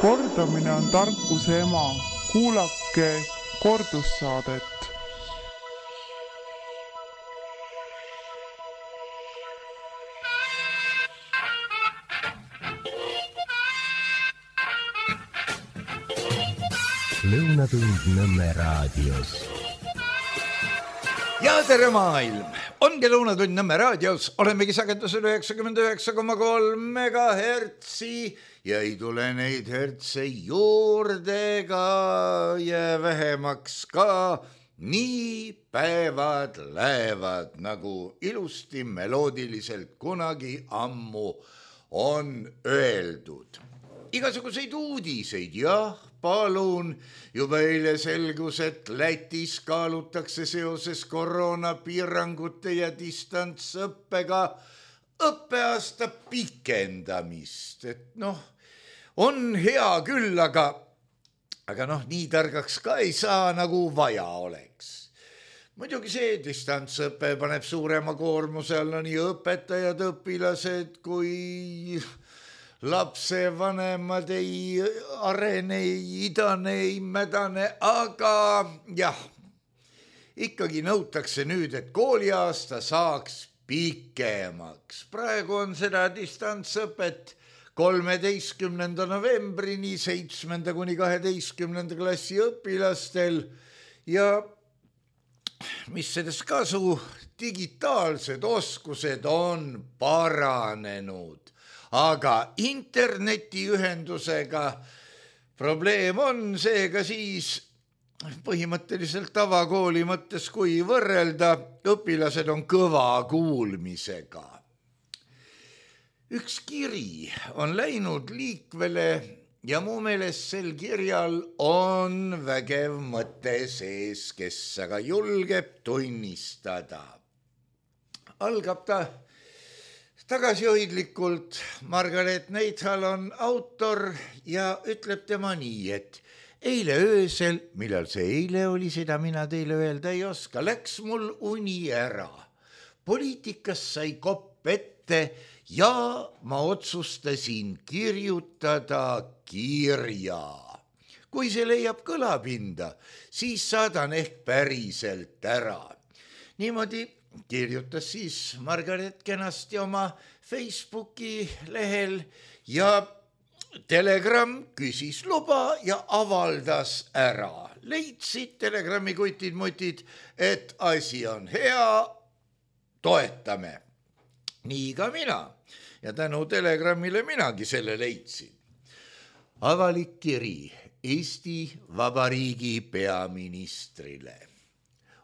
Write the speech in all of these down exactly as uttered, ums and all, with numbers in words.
Kordamine on tarkuse ema. Kuulake kordussaadet. Lõunatund Nõmme raadios. Ja tere maailm! Ongi Lõunatund Nõmme raadios. Olemegi sagedusel üheksakümmend üheksa koma kolm megahertsi ja ei tule neid hertse juurde ka ja vähemaks ka. Nii päevad lähevad, nagu ilusti meloodiliselt kunagi ammu on öeldud. Igasuguseid uudiseid, jah, palun. Juba eile selgus, et Lätis kaalutakse seoses koroonapiirangute ja distantsõppega õppeaasta pikendamist. Et noh, on hea küll, aga, aga noh, nii targaks ka ei saa, nagu vaja oleks. Muidugi see distantsõppe paneb suurema koormuse alla nii õpetajad, õpilased kui lapse vanemad ei arene, ei idane, ei mädane, aga jah, ikkagi nõutakse nüüd, et kooliaasta saaks pikemaks. Praegu on seda distantsõpet kolmeteistkümnenda novembrini seitsmenda kuni kaheteistkümnenda klassi õpilastel ja mis sellest kasu, digitaalsed oskused on paranenud. Aga internetiühendusega probleem on seega siis põhimõtteliselt tavakooli mõttes, kui võrrelda, õpilased on kõva kuulmisega. Üks kiri on läinud liikvele ja mu meelest sel kirjal on vägev mõte sees, kes aga julgeb tunnistada. Algab ta tagasihoidlikult. Margaret Neithal on autor ja ütleb tema nii, et eile öösel, millal see eile oli, seda mina teile öelda ei oska, läks mul uni ära. Poliitikas sai kopp ette ja ma otsustasin kirjutada kirja. Kui see leiab kõlapinda, siis saadan ehk päriselt ära. Niimoodi kirjutas siis Margaret kenasti oma Facebooki lehel ja Telegram küsis luba ja avaldas ära. Leidsid Telegrami kutid-mutid, et asi on hea, toetame. Nii ka mina ja tänu Telegramile minagi selle leidsin. Avalik kiri Eesti Vabariigi peaministrile.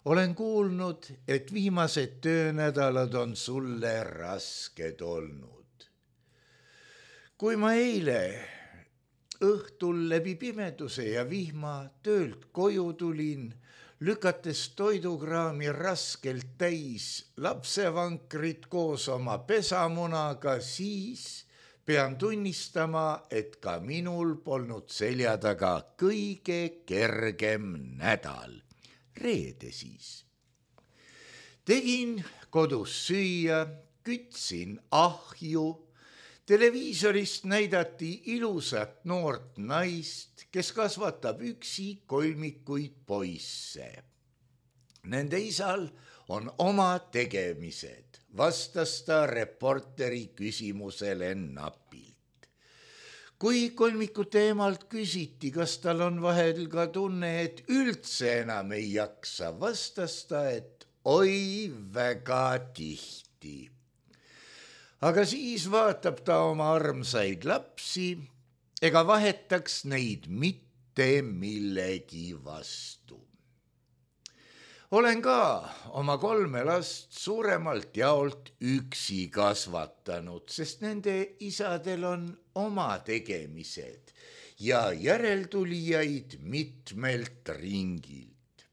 Olen kuulnud, et viimased töönädalad on sulle rasked olnud. Kui ma eile õhtul läbi pimeduse ja vihma töölt koju tulin, lükates toidukraami raskelt täis lapsevankrit koos oma pesamunaga, siis pean tunnistama, et ka minul polnud selja taga kõige kergem nädal. Reede siis. Tegin kodus süüa, kütsin ahju, televiisorist näidati ilusat noort naist, kes kasvatab üksi kolmikuid poisse. Nende isal on oma tegemised, vastas ta reporteri küsimusele napilt. Kui kolmiku teemalt küsiti, kas tal on vahel ka tunne, et üldse enam ei jaksa, vastas ta, et oi väga tihti. Aga siis vaatab ta oma armsaid lapsi, ega vahetaks neid mitte millegi vastu. Olen ka oma kolme last suuremalt jaolt üksi kasvatanud, sest nende isadel on oma tegemised ja järeltulijaid mitmelt ringilt.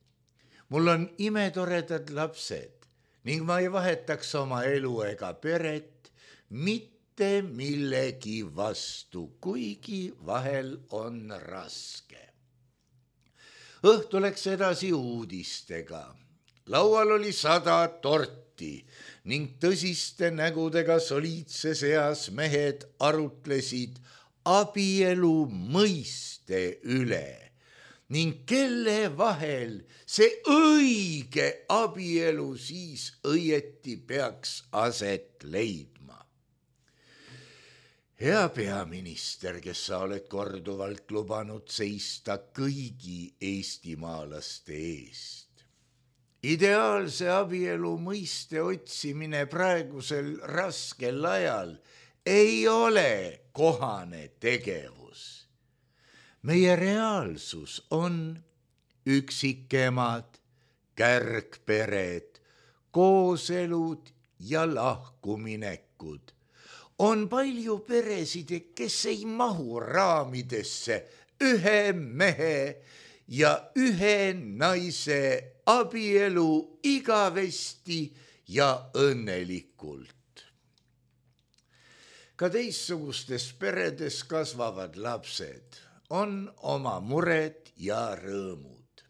Mul on imetoredad lapsed ning ma ei vahetaks oma elu ega peret mitte millegi vastu, kuigi vahel on raske. Õhtu läks edasi uudistega. Laual oli sada torti ning tõsiste nägudega soliidse seas mehed arutlesid abielu mõiste üle ning kelle vahel see õige abielu siis õieti peaks aset leidma. Hea peaminister, kes sa oled korduvalt lubanud seista kõigi eestimaalaste eest. Ideaalse abielu mõiste otsimine praegusel raskel ajal ei ole kohane tegevus. Meie reaalsus on üksikemad, kärgpered, kooselud ja lahkuminekud. On palju peresid, kes ei mahu raamidesse ühe mehe ja ühe naise abielu igavesti ja õnnelikult. Ka teissugustes peredes kasvavad lapsed on oma mured ja rõõmud.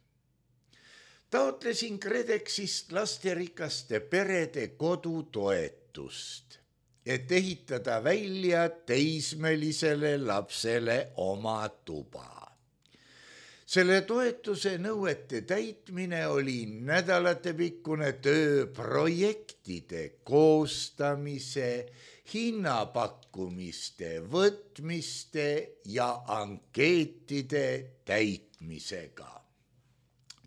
Taotlesin KredExist lasterikaste perede kodutoetust, et ehitada välja teismelisele lapsele oma tuba. Selle toetuse nõuete täitmine oli nädalatepikkune töö projektide koostamise, hinnapakkumiste võtmiste ja ankeetide täitmisega.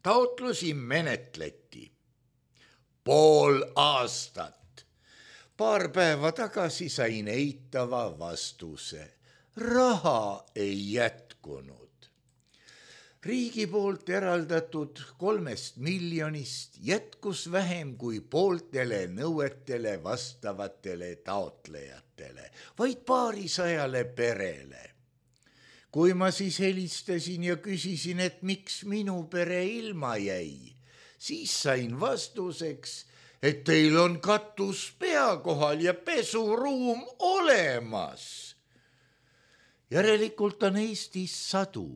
Taotlusi menetleti pool aastat. Paar päeva tagasi sain eitava vastuse. Raha ei jätkunud. Riigi poolt eraldatud kolmest miljonist jätkus vähem kui pooltele nõuetele vastavatele taotlejatele, vaid paarisajale perele. Kui ma siis helistasin ja küsisin, et miks minu pere ilma jäi, siis sain vastuseks, et teil on katus pea kohal ja pesuruum olemas. Järelikult on Eestis sadu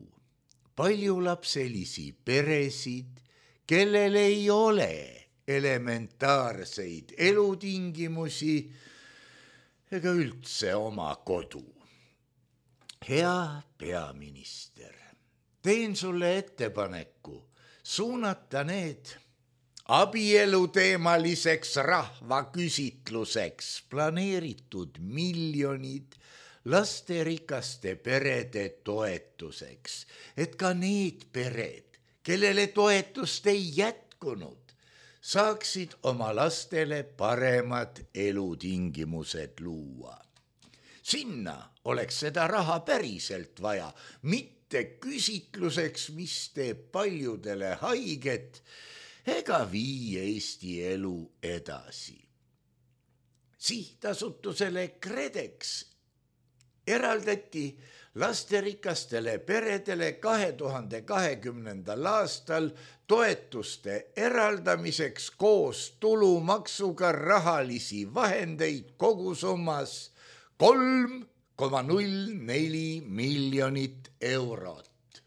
paljulapselisi peresid, kellel ei ole elementaarseid elutingimusi ega üldse oma kodu. Hea peaminister, teen sulle ettepaneku suunata need abieluteemaliseks rahvaküsitluseks planeeritud miljonid lasterikaste perede toetuseks, et ka need pered, kellele toetust ei jätkunud, saaksid oma lastele paremad elutingimused luua. Sinna oleks seda raha päriselt vaja, mitte küsitluseks, mis teeb paljudele haiget ega vii Eesti elu edasi. Sihtasutusele KredEx eraldati lasterikastele peredele kahe tuhande kahekümnendal aastal toetuste eraldamiseks koos tulumaksuga rahalisi vahendeid kogusummas kolm koma null neli miljonit eurot.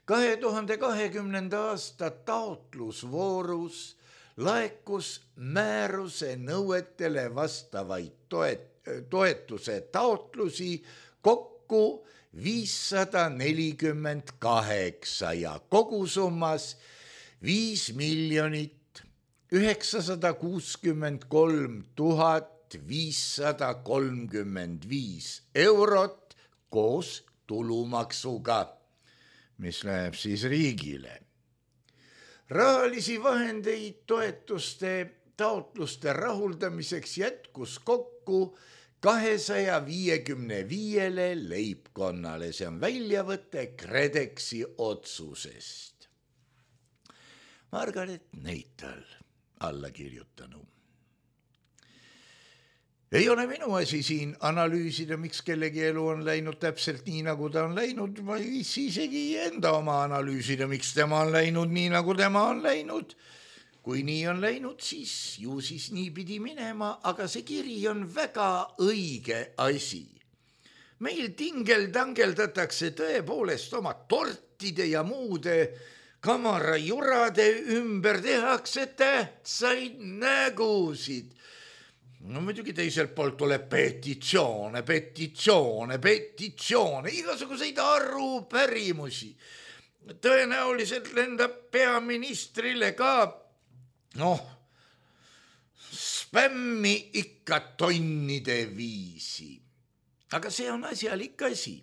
kahe tuhande kahekümnenda aasta taotlusvoorus laekus määruse nõuetele vastavaid toet, toetuse taotlusi kokku viissada nelikümmend kaheksa ja kogusummas viis miljonit üheksasada kuuskümmend kolm tuhat viissada kolmkümmend viis eurot koos tulumaksuga, mis läheb siis riigile. Rahalisi vahendeid toetuste taotluste rahuldamiseks jätkus kokku kahesaja viiekümne viiele leibkonnale, see on väljavõte KredExi otsusest. Margaret Neital alla kirjutanu. Ei ole minu asi siin analüüsida, miks kellegi elu on läinud täpselt nii, nagu ta on läinud. Ma ei viitsi isegi enda oma analüüsida, miks tema on läinud nii, nagu tema on läinud. Kui nii on läinud, siis ju siis nii pidi minema, aga see kiri on väga õige asi. Meil tingel-tangeldatakse tõepoolest oma tortide ja muude kamarajurade ümber tehakse tähtsaid nägusid. no muidugi teiselt poolt tuleb petitsioone, petitsioone, petitsioone, igasuguseid arupärimusi. Tõenäoliselt lendab peaministrile ka, noh, spämmi ikka tonnide viisi. Aga see on asjalik asi.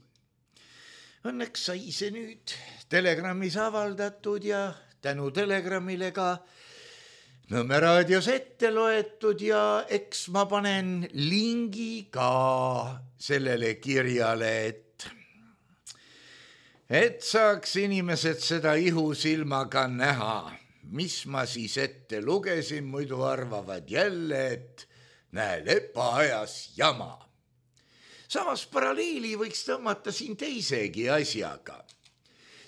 Õnneks sai see nüüd Telegrammis avaldatud ja tänu Telegramile ka Nõmme raadios ette loetud ja eks ma panen lingi ka sellele kirjale, et, et saaks inimesed seda ihusilmaga näha, mis ma siis ette lugesin, muidu arvavad jälle, et näe, lepa ajas jama. Samas paralleeli võiks tõmmata siin teisegi asjaga.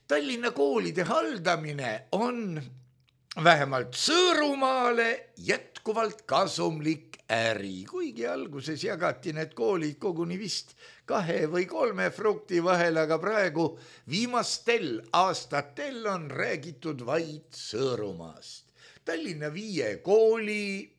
Tallinna koolide haldamine on vähemalt Sõõrumaale jätkuvalt kasumlik äri, kuigi alguses jagati need koolid koguni vist kahe või kolme frukti vahel, aga praegu viimastel aastatel on räägitud vaid Sõõrumaast. Tallinna viie kooli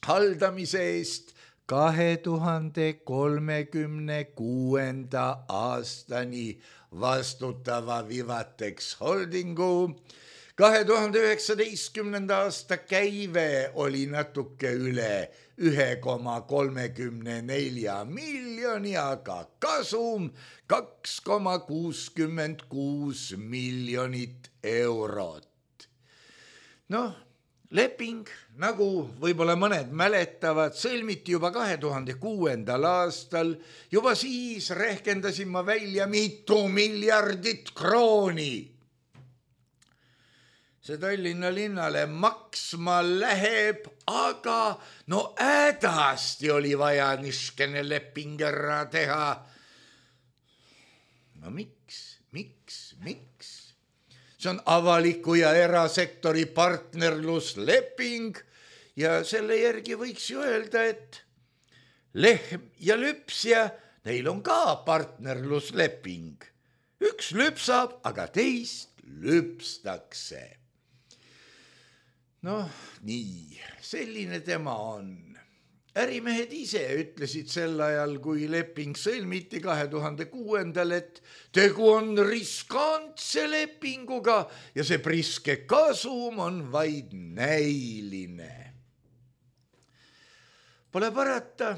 haldamise eest kahe tuhande kolmekümne kuuenda aastani vastutava Vivatex Holdingu kahe tuhande üheksateistkümnenda aasta käive oli natuke üle ühe koma kolmekümne nelja miljoni, aga kasum kaks koma kuuskümmend kuus miljonit eurot. Noh, leping, nagu võib-olla mõned mäletavad, sõlmiti juba kahe tuhande kuuendal aastal. Juba siis rehkendasin ma välja mitu miljardit krooni. See Tallinna linnale maksma läheb, aga no hädasti oli vaja niskene leping ära teha. No miks, miks, miks? See on avaliku ja erasektori partnerlusleping ja selle järgi võiks ju öelda, et lehm ja lüpsja, neil on ka partnerlusleping. Üks lüpsab, aga teist lüpstakse. Noh, nii, selline tema on. Ärimehed ise ütlesid sel ajal, kui leping sõlmiti kahe tuhande kuuendal, et tegu on riskantse lepinguga ja see priske kasum on vaid näiline. Pole parata.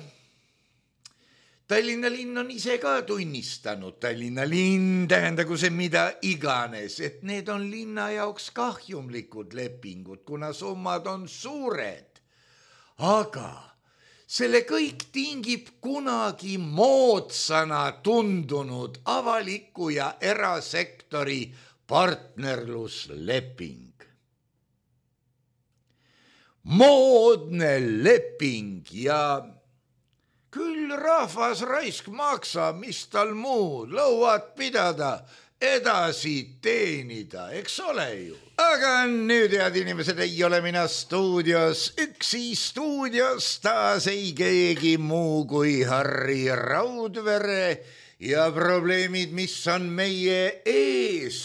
Tallinna linn on ise ka tunnistanud, Tallinna linn tähendagu see mida iganes, et need on linna jaoks kahjumlikud lepingud, kuna summad on suured. Aga selle kõik tingib kunagi moodsana tundunud avaliku ja erasektori partnerlusleping. Moodne leping ja küll rahvas raisk maksab, mis tal muud, lõuad pidada, edasi teenida, eks ole ju. Aga nüüd, head inimesed, ei ole mina stuudios, üksi stuudios taas ei keegi muu kui Harri Raudvere ja probleemid, mis on meie ees.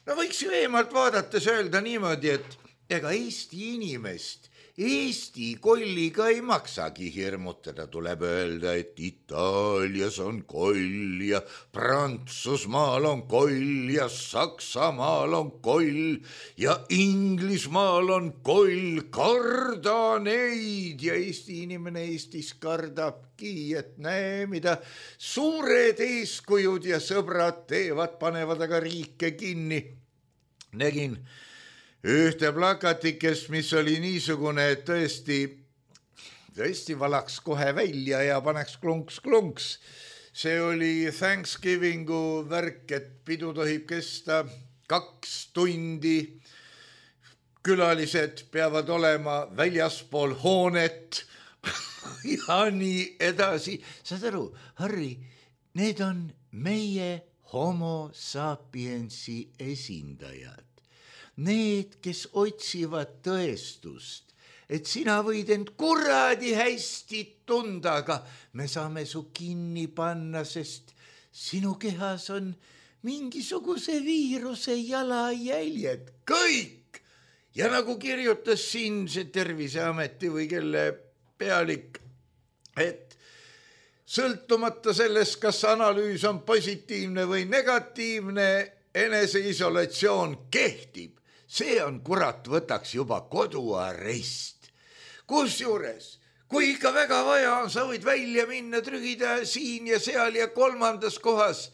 No võiks ju eemalt vaadates öelda niimoodi, et ega Eesti inimest Eesti kolliga ei maksagi hirmutada, tuleb öelda, et Itaalias on koll ja Prantsusmaal on koll ja Saksamaal on koll ja Inglismaal on koll, karda neid ja Eesti inimene Eestis kardabki, et näe, mida suured eeskujud ja sõbrad teevad, panevad aga riike kinni. Nägin ühte plakatikest, mis oli niisugune, et tõesti, tõesti valaks kohe välja ja paneks klunks-klunks. See oli Thanksgivingu värk, et pidu tohib kesta kaks tundi. Külalised peavad olema väljaspool hoonet ja nii edasi. Saad aru, Harri, need on meie homo sapiensi esindajad. Need, kes otsivad tõestust, et sina võid end kuradi hästi tunda, aga me saame su kinni panna, sest sinu kehas on mingisuguse viiruse jalajäljed. Kõik! Ja nagu kirjutas siin see Terviseameti või kelle pealik, et sõltumata sellest, kas analüüs on positiivne või negatiivne, eneseisolatsioon kehtib. See on, kurat, võtaks juba koduarest. Kusjuures, kui ikka väga vaja on, sa võid välja minna, trügida siin ja seal ja kolmandas kohas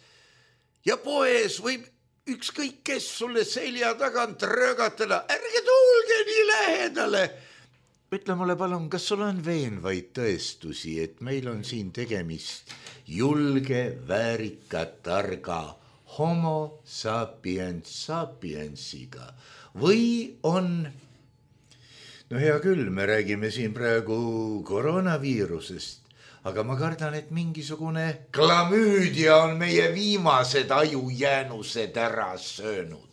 ja poes võib ükskõik kes sulle selja tagant röögatada. Ärge tulge nii lähedale. Ütle mulle palun, kas sul on veenvaid tõestusi, et meil on siin tegemist julge, väärika, targa homo sapiens sapiensiga või on, no hea küll, me räägime siin praegu koroonaviirusest, aga ma kardan, et mingisugune klamüüdia on meie viimased ajujäänused ära söönud.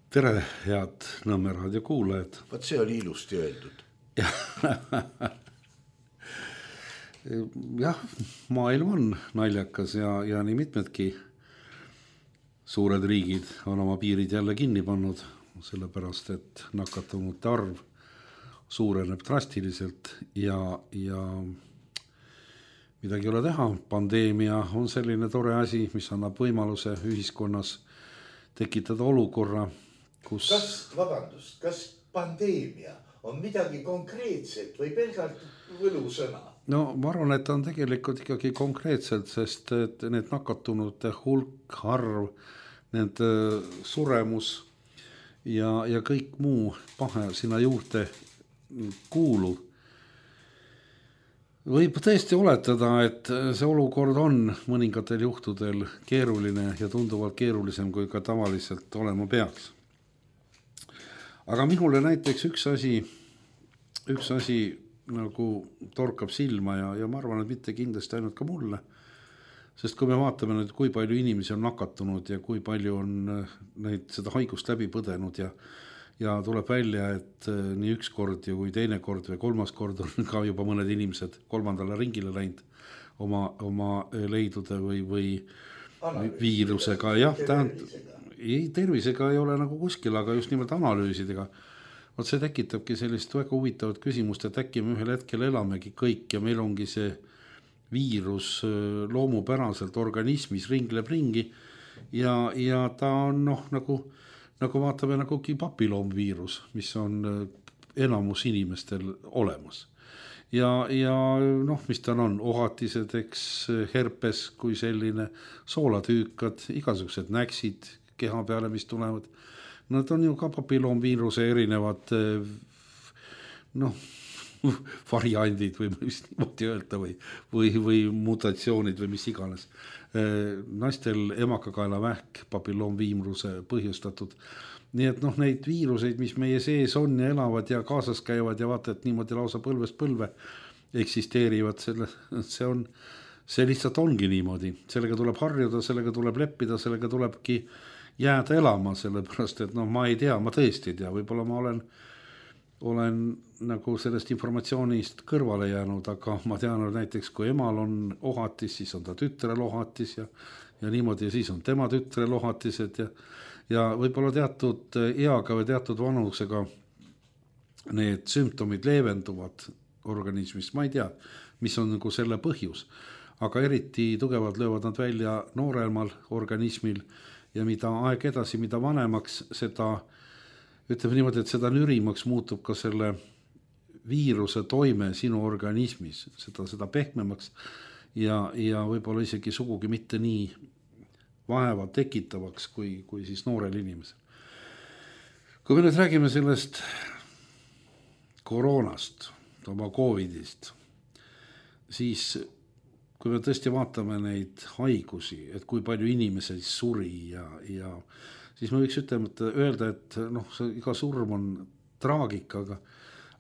Tere, head Nõmme raadio kuulajad. Vaat see oli ilusti öeldud. Jah, maailm on naljakas ja, ja nii mitmedki suured riigid on oma piirid jälle kinni pannud, sellepärast et nakatunute arv suureneb drastiliselt ja, ja midagi ei ole teha. Pandeemia on selline tore asi, mis annab võimaluse ühiskonnas tekitada olukorra, kus... Kas, vabandust, kas pandeemia on midagi konkreetset või pelgalt võlusõna? No ma arvan, et on tegelikult ikkagi konkreetselt, sest et need nakatunute hulk, arv, need suremus ja, ja kõik muu pahe sinna juurde kuulu. Võib tõesti oletada, et see olukord on mõningatel juhtudel keeruline ja tunduvalt keerulisem, kui ka tavaliselt olema peaks. Aga minule näiteks üks asi, üks asi nagu torkab silma ja, ja ma arvan, et mitte kindlasti ainult ka mulle. Sest kui me vaatame nüüd, kui palju inimesi on nakatunud ja kui palju on neid seda haigust läbi põdenud ja, ja tuleb välja, et nii üks kord ja kui teine kord või kolmas kord on ka juba mõned inimesed kolmandale ringile läinud oma, oma leidude või, või Analüüsi, viirusega. Jah, tähendab, ei, tervisega ei ole nagu kuskil, aga just nimelt analüüsidega. Vot see tekitabki sellist väga huvitavat küsimust, et äkki me ühel hetkel elamegi kõik ja meil ongi see viirus loomupäraselt organismis ringleb ringi ja, ja ta on noh, nagu, nagu vaatame nagugi papiloomviirus, mis on enamus inimestel olemas. Ja, ja noh, mis ta on, ohatised, eks, herpes kui selline, soolatüükad, igasugused näksid keha peale, mis tulevad. Nad on ju ka papiloomviiruse erinevad noh, variandid või mis niimoodi öelda või, või, või mutatsioonid või mis iganes. Naistel emakakaelavähk papiloomviiruse põhjustatud. Nii et noh, neid viiruseid, mis meie sees on ja elavad ja kaasas käivad ja vaata, et niimoodi lausa põlvest põlve eksisteerivad, selle, see on, see lihtsalt ongi niimoodi. Sellega tuleb harjuda, sellega tuleb leppida, sellega tulebki jääda elama, sellepärast, et noh, ma ei tea, ma tõesti ei tea, võib-olla ma olen, olen nagu sellest informatsioonist kõrvale jäänud, aga ma tean, et näiteks kui emal on ohatis, siis on ta tütrel ohatis ja, ja niimoodi ja siis on tema tütrel ohatised ja, ja võib-olla teatud eaga või teatud vanusega need sümptomid leevenduvad organismis, ma ei tea, mis on nagu selle põhjus, aga eriti tugevalt löövad nad välja nooremal organismil ja mida aeg edasi, mida vanemaks, seda, ütleme niimoodi, et seda nürimaks muutub ka selle viiruse toime sinu organismis, seda, seda pehmemaks ja, ja võib-olla isegi sugugi mitte nii vaeva tekitavaks kui, kui siis noorel inimesel. Kui me nüüd räägime sellest koroonast, oma covidist, siis kui me tõesti vaatame neid haigusi, et kui palju inimesi suri ja, ja siis me võiks ütelda, öelda, et noh, see, iga surm on traagika, aga,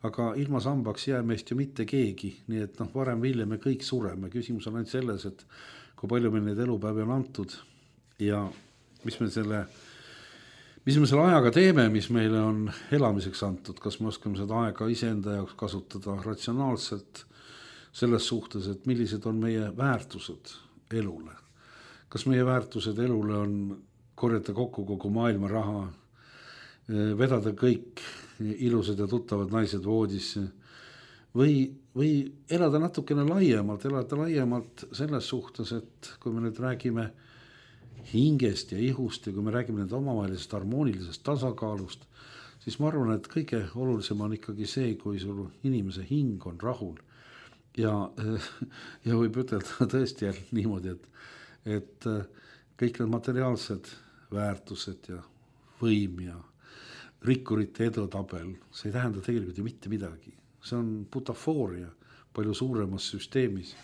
aga ilma sambaks jää meist ju mitte keegi, nii et noh, varem või hiljem me kõik sureme. Küsimus on ainult selles, et kui palju meil neid elupäevi on antud ja mis me selle, mis me selle ajaga teeme, mis meile on elamiseks antud, kas me oskame seda aega iseenda jaoks kasutada ratsionaalselt, selles suhtes, et millised on meie väärtused elule. Kas meie väärtused elule on korjata kokku kogu maailma raha, vedada kõik ilusad ja tuttavad naised voodisse, või, või elada natukene laiemalt, elada laiemalt selles suhtes, et kui me nüüd räägime hingest ja ihust ja kui me räägime nende omavahelisest harmoonilisest tasakaalust, siis ma arvan, et kõige olulisem on ikkagi see, kui sul inimese hing on rahul. Ja, ja võib ütelda tõesti jälle niimoodi, et, et kõik need materiaalsed väärtused ja võim ja rikkurite edutabel, see ei tähenda tegelikult ju mitte midagi. See on butafooria palju suuremas süsteemis,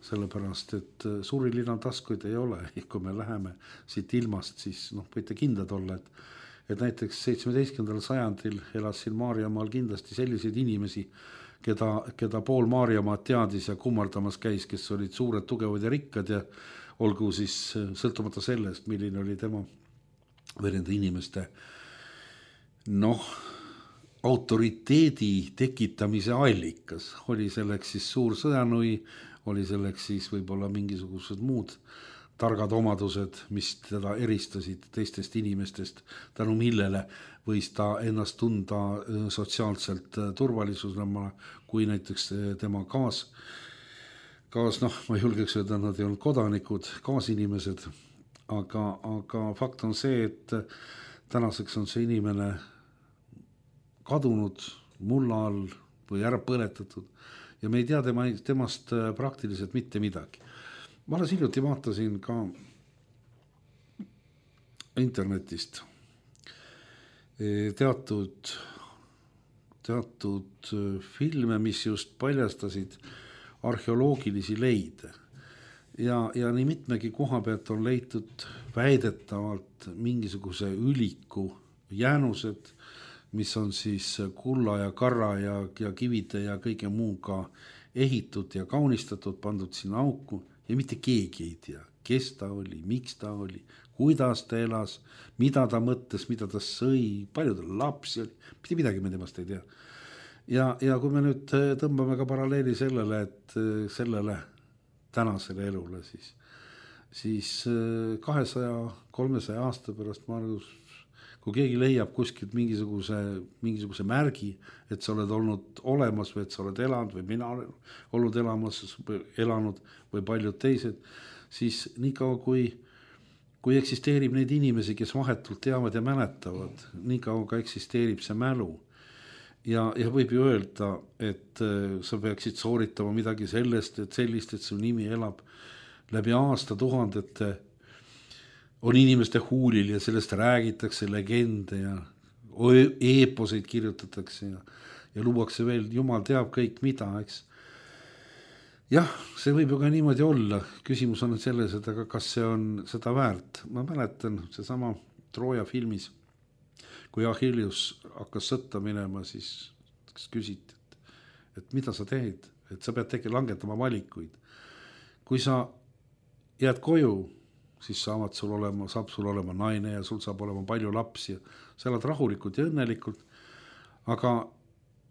sellepärast, et suuri linnataskuid ei ole. Kui me läheme siit ilmast, siis noh, võite kindlad olla, et, et näiteks seitsmeteistkümnendal sajandil elas siin Maarjamaal kindlasti selliseid inimesi, keda, keda pool Maarjamaad teadis ja kummardamas käis, kes olid suured, tugevad ja rikkad ja olgu siis sõltumata sellest, milline oli tema või nende inimeste noh, autoriteedi tekitamise allikas. Oli selleks siis suur sõjanui, oli selleks siis võib-olla mingisugused muud targad omadused, mis teda eristasid teistest inimestest, tänu millele võis ta ennast tunda sotsiaalselt turvalisusena, kui näiteks tema kaas, kaas noh, ma julgeks öelda, nad ei olnud kodanikud, kaasinimesed, aga, aga fakt on see, et tänaseks on see inimene kadunud mulla all või ära põletatud ja me ei tea tema, temast praktiliselt mitte midagi. Ma alles hiljuti vaatasin ka internetist teatud, teatud filme, mis just paljastasid arheoloogilisi leide. Ja, ja nii mitmegi koha pealt on leitud väidetavalt mingisuguse üliku jäänused, mis on siis kulla ja karra ja, ja kivide ja kõige muuga ehitud ja kaunistatud, pandud sinna auku ja mitte keegi ei tea, kes ta oli, miks ta oli, kuidas ta elas, mida ta mõtles, mida ta sõi, palju ta lapsi oli, mitte midagi me temast ei tea. Ja, ja kui me nüüd tõmbame ka paralleeli sellele, et sellele tänasele elule, siis, siis kahesaja kolmesaja aasta pärast ma arvan, kui keegi leiab kuskilt mingisuguse, mingisuguse märgi, et sa oled olnud olemas või et sa oled elanud või mina olen olnud elamas, elanud või paljud teised, siis niikaua kui, kui eksisteerib neid inimesi, kes vahetult teavad ja mäletavad, niikaua ka eksisteerib see mälu. Ja, ja võib ju öelda, et sa peaksid sooritama midagi sellest, et sellist, et su nimi elab läbi aasta tuhandete, on inimeste huulil ja sellest räägitakse legende ja eeposeid kirjutatakse ja, ja luuakse veel, jumal teab kõik mida, eks. Jah, see võib ju ka niimoodi olla. Küsimus on selles, et aga kas see on seda väärt. Ma mäletan see sama Trooja filmis, kui Achilles hakkas sõtta minema, siis küsiti, et, et mida sa teed, et sa pead tegi langetama valikuid. Kui sa jääd koju, siis saavad sul olema, saab sul olema naine ja sul saab olema palju lapsi ja sa elad rahulikult ja õnnelikult, aga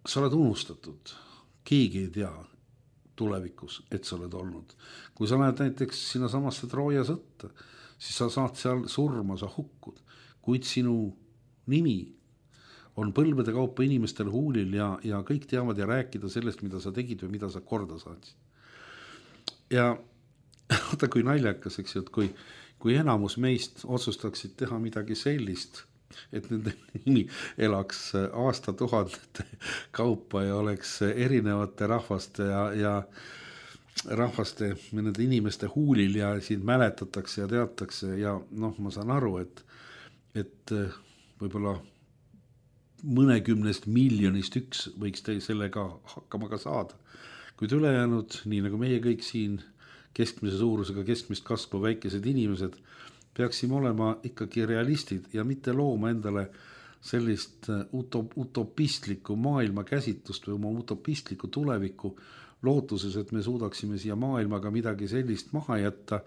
sa oled unustatud. Keegi ei tea tulevikus, et sa oled olnud. Kui sa lähed näiteks sinna samasse Trooja sõtta, siis sa saad seal surma, sa hukkud, kuid sinu nimi on põlvede kaupa inimestel huulil ja, ja kõik teavad ja rääkida sellest, mida sa tegid või mida sa korda saadsid. Ja oota, kui naljakas, eks ju, et kui kui enamus meist otsustaksid teha midagi sellist, et nende nimi elaks aasta tuhandete kaupa ja oleks erinevate rahvaste ja, ja rahvaste, nende inimeste huulil ja siin mäletatakse ja teatakse ja noh, ma saan aru, et, et võib-olla mõnekümnest miljonist üks võiks teil sellega hakkama ka saada. Kuid ülejäänud, nii nagu meie kõik siin keskmise suurusega, keskmist kasvu väikesed inimesed, peaksime olema ikkagi realistid ja mitte looma endale sellist utop, utopistlikku maailma käsitlust või oma utopistlikku tulevikku lootuses, et me suudaksime siia maailmaga midagi sellist maha jätta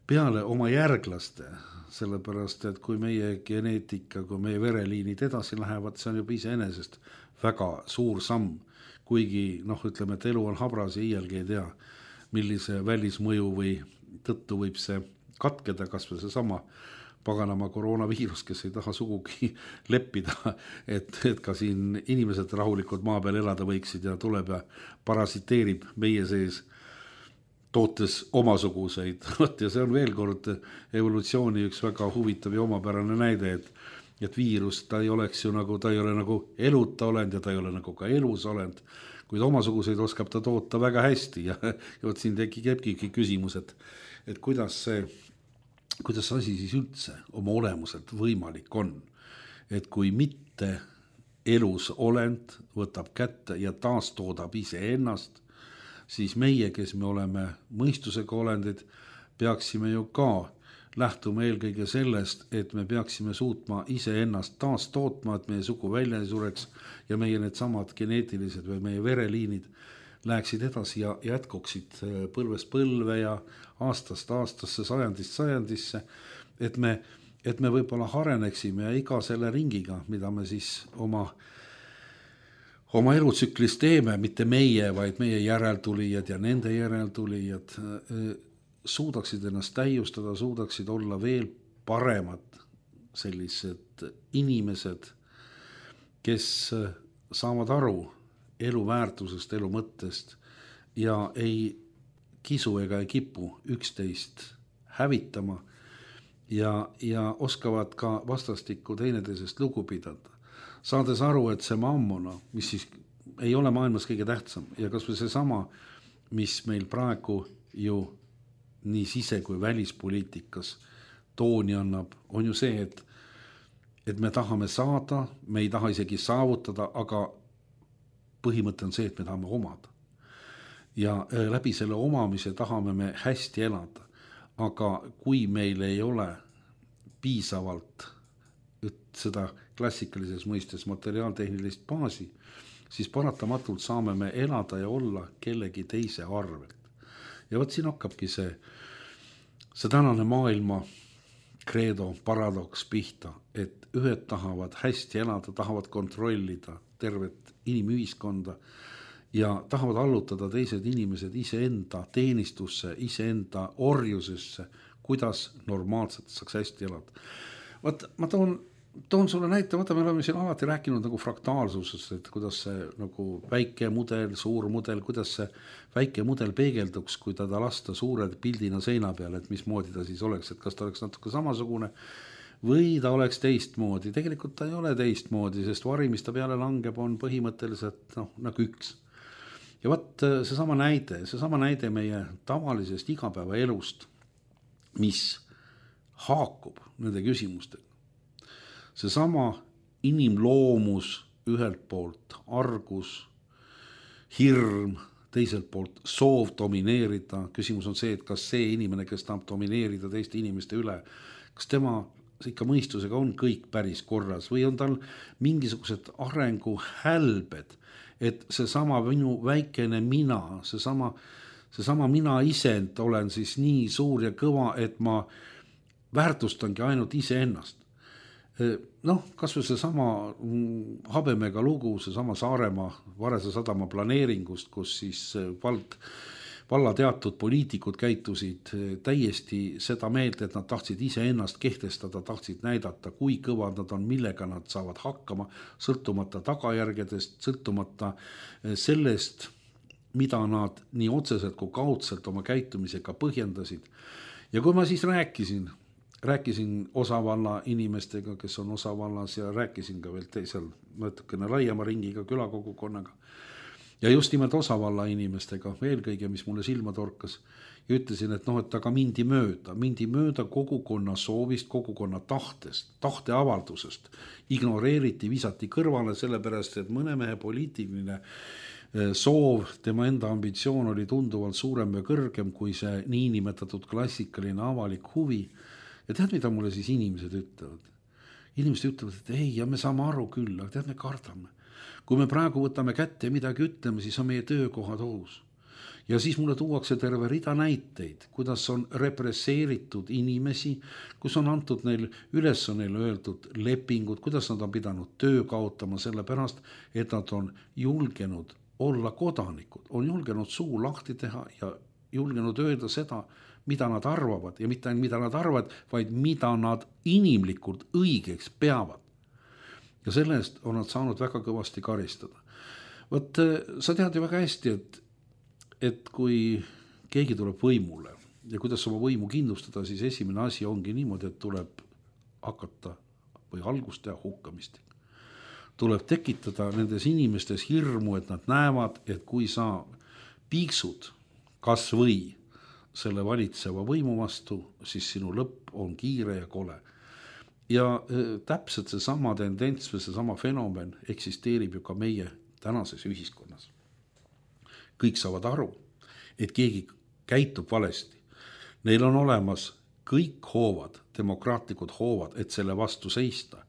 peale oma järglaste, sellepärast, et kui meie geneetika, kui meie vereliinid edasi lähevad, see on juba iseenesest väga suur samm, kuigi noh, ütleme, et elu on habras ja iialgi ei tea, millise välismõju või tõttu võib see katkeda, kas või see sama paganama koroonaviirus, kes ei taha sugugi leppida, et, et ka siin inimesed rahulikult maa peal elada võiksid ja tuleb ja parasiteerib meie sees, tootes omasuguseid. Ja see on veel kord evolutsiooni üks väga huvitav ja omapärane näide, et, et viirus, ta ei oleks ju nagu, ta ei ole nagu eluta olend ja ta ei ole nagu ka elus olend, kuid omasuguseid oskab ta toota väga hästi ja, ja võt siin tekibki küsimus, et, et kuidas see kuidas see asi siis üldse oma olemuselt võimalik on, et kui mitte elus olend võtab kätte ja taastoodab ise ennast, siis meie, kes me oleme mõistusega olendid, peaksime ju ka lähtuma eelkõige sellest, et me peaksime suutma ise ennast taastootma, et meie sugu välja ei sureks ja meie need samad geneetilised või meie vereliinid läheksid edasi ja jätkuksid põlvest põlve ja aastast aastasse, sajandist sajandisse, et me, et me võib-olla hareneksime ja iga selle ringiga, mida me siis oma, oma elutsüklis teeme, mitte meie, vaid meie järeltulijad ja nende järeltulijad suudaksid ennast täiustada, suudaksid olla veel paremad sellised inimesed, kes saavad aru elu väärtusest, elu mõttest ja ei kisu ega ei kipu üksteist hävitama ja, ja oskavad ka vastastikku teineteisest lugu pidada. Saades aru, et see mammona, mis siis ei ole maailmas kõige tähtsam ja kas või see sama, mis meil praegu ju nii sise- kui välispoliitikas tooni annab, on ju see, et, et me tahame saada, me ei taha isegi saavutada, aga põhimõte on see, et me tahame omada. Ja läbi selle omamise tahame me hästi elada. Aga kui meil ei ole piisavalt seda klassikalises mõistes materiaaltehnilist baasi, siis paratamatult saame me elada ja olla kellegi teise arvelt. Ja võt siin hakkabki see, see tänane maailma kreedo paradoks pihta, et ühed tahavad hästi elada, tahavad kontrollida tervet inimühiskonda ja tahavad allutada teised inimesed iseenda teenistusse, iseenda orjusesse, kuidas normaalselt saaks hästi elada. Vaat, ma toon, toon sulle näite, vaata, me oleme siin alati rääkinud nagu fraktaalsusest, et kuidas see nagu väike mudel, suur mudel, kuidas see väike mudel peegelduks, kui ta lasta suure pildina seina peal, et mismoodi ta siis oleks, et kas ta oleks natuke samasugune või ta oleks teistmoodi. Tegelikult ta ei ole teistmoodi, sest vari, mis ta peale langeb, on põhimõtteliselt no, nagu üks. Ja vaat see sama näide, see sama näide meie tavalisest igapäeva elust, mis haakub nende küsimustega. See sama inimloomus ühelt poolt, argus, hirm, teiselt poolt soov domineerida. Küsimus on see, et kas see inimene, kes tahab domineerida teiste inimeste üle, kas tema ikka mõistusega on kõik päris korras või on tal mingisugused arengu hälbed, et see sama minu väikene mina, see sama, see sama mina isend olen siis nii suur ja kõva, et ma väärtustangi ainult iseennast. Noh, kas või see sama Habemega lugu, see sama Saaremaa Varese sadama planeeringust, kus siis vald valla teatud poliitikud käitusid täiesti seda meelt, et nad tahtsid ise ennast kehtestada, tahtsid näidata, kui kõvad nad on, millega nad saavad hakkama, sõltumata tagajärgedest, sõltumata sellest, mida nad nii otseselt kui kaudselt oma käitumisega põhjendasid. Ja kui ma siis rääkisin, rääkisin osavalla inimestega, kes on osavallas ja rääkisin ka veel teisel natukene laiema ringiga külakogukonnaga, ja just nimelt osavalla inimestega, eelkõige, mis mulle silma torkas, ja ütlesin, et noh, et aga mindi mööda, mindi mööda kogukonna soovist, kogukonna tahtest, tahteavaldusest, ignoreeriti, visati kõrvale, sellepärast, et mõne mehe poliitiline soov, tema enda ambitsioon oli tunduvalt suurem ja kõrgem kui see niinimetatud klassikaline avalik huvi. Ja tead, mida mulle siis inimesed ütlevad? Inimesed ütlevad, et ei, ja me saame aru küll, aga tead, me kardame. Kui me praegu võtame kätte ja midagi ütleme, siis on meie töökohad ohus. Ja siis mulle tuuakse terve rida näiteid, kuidas on represseeritud inimesi, kus on antud neil üles on neil öeldud lepingud, kuidas nad on pidanud töö kaotama selle pärast, et nad on julgenud olla kodanikud, on julgenud suu lahti teha ja, julgenud öelda seda, mida nad arvavad ja mitte ainult mida nad arvavad, vaid mida nad inimlikult õigeks peavad. Ja selle eest on nad saanud väga kõvasti karistada. Võt, sa tead ju väga hästi, et, et kui keegi tuleb võimule ja kuidas oma võimu kindlustada, siis esimene asi ongi niimoodi, et tuleb hakata või algust teha hukkamist. Tuleb tekitada nendes inimestes hirmu, et nad näevad, et kui sa piiksud kas või selle valitseva võimu vastu, siis sinu lõpp on kiire ja kole. Ja täpselt see sama tendents või see sama fenomen eksisteerib ju ka meie tänases ühiskonnas. Kõik saavad aru, et keegi käitub valesti. Neil on olemas kõik hoovad, demokraatlikud hoovad, et selle vastu seista,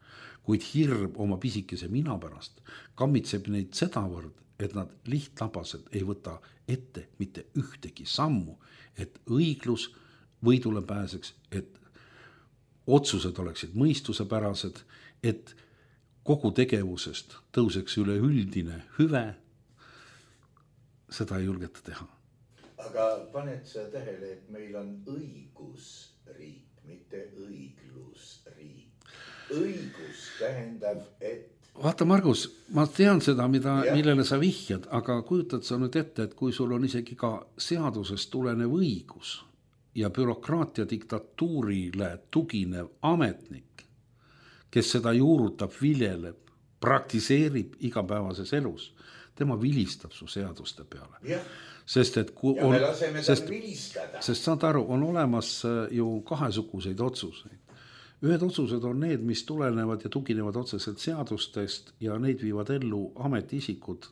kuid hirm oma pisikese mina pärast kammitseb neid sedavõrd, et nad lihtlabased ei võta ette mitte ühtegi sammu, et õiglus võidule pääseks, et otsused oleksid mõistusepärased, et kogu tegevusest tõuseks üle üldine hüve, seda ei julgeta teha. Aga paned sa tähele, et meil on õigusriik, mitte õiglusriik. Õigus tähendab, et... Vaata, Margus, ma tean seda, mida, millele sa vihjad, aga kujutad sa nüüd ette, et kui sul on isegi ka seadusest tulenev õigus ja bürokraatia diktatuurile tuginev ametnik, kes seda juurutab, viljeleb, praktiseerib igapäevases elus, tema vilistab su seaduste peale. Ja. Sest, et kui ja on, me laseme tal sest, vilistada. Sest saad aru, on olemas ju kahesuguseid otsuseid. Ühed otsused on need, mis tulenevad ja tuginevad otseselt seadustest ja neid viivad ellu ametiisikud,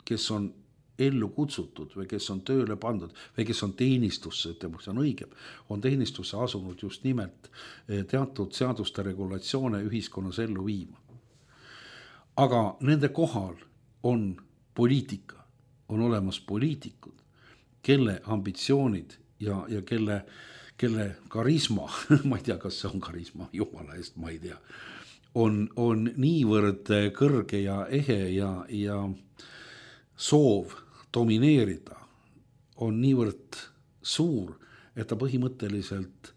kes on ellu kutsutud või kes on tööle pandud või kes on teenistusse, ütleme, see on õige, on teenistusse asunud just nimelt teatud seaduste regulatsioone ühiskonnas ellu viima. Aga nende kohal on poliitika, on olemas poliitikud, kelle ambitsioonid ja, ja kelle kelle karisma, ma ei tea, kas see on karisma, jumala eest, ma ei tea, on, on niivõrd kõrge ja ehe ja, ja soov domineerida on niivõrd suur, et ta põhimõtteliselt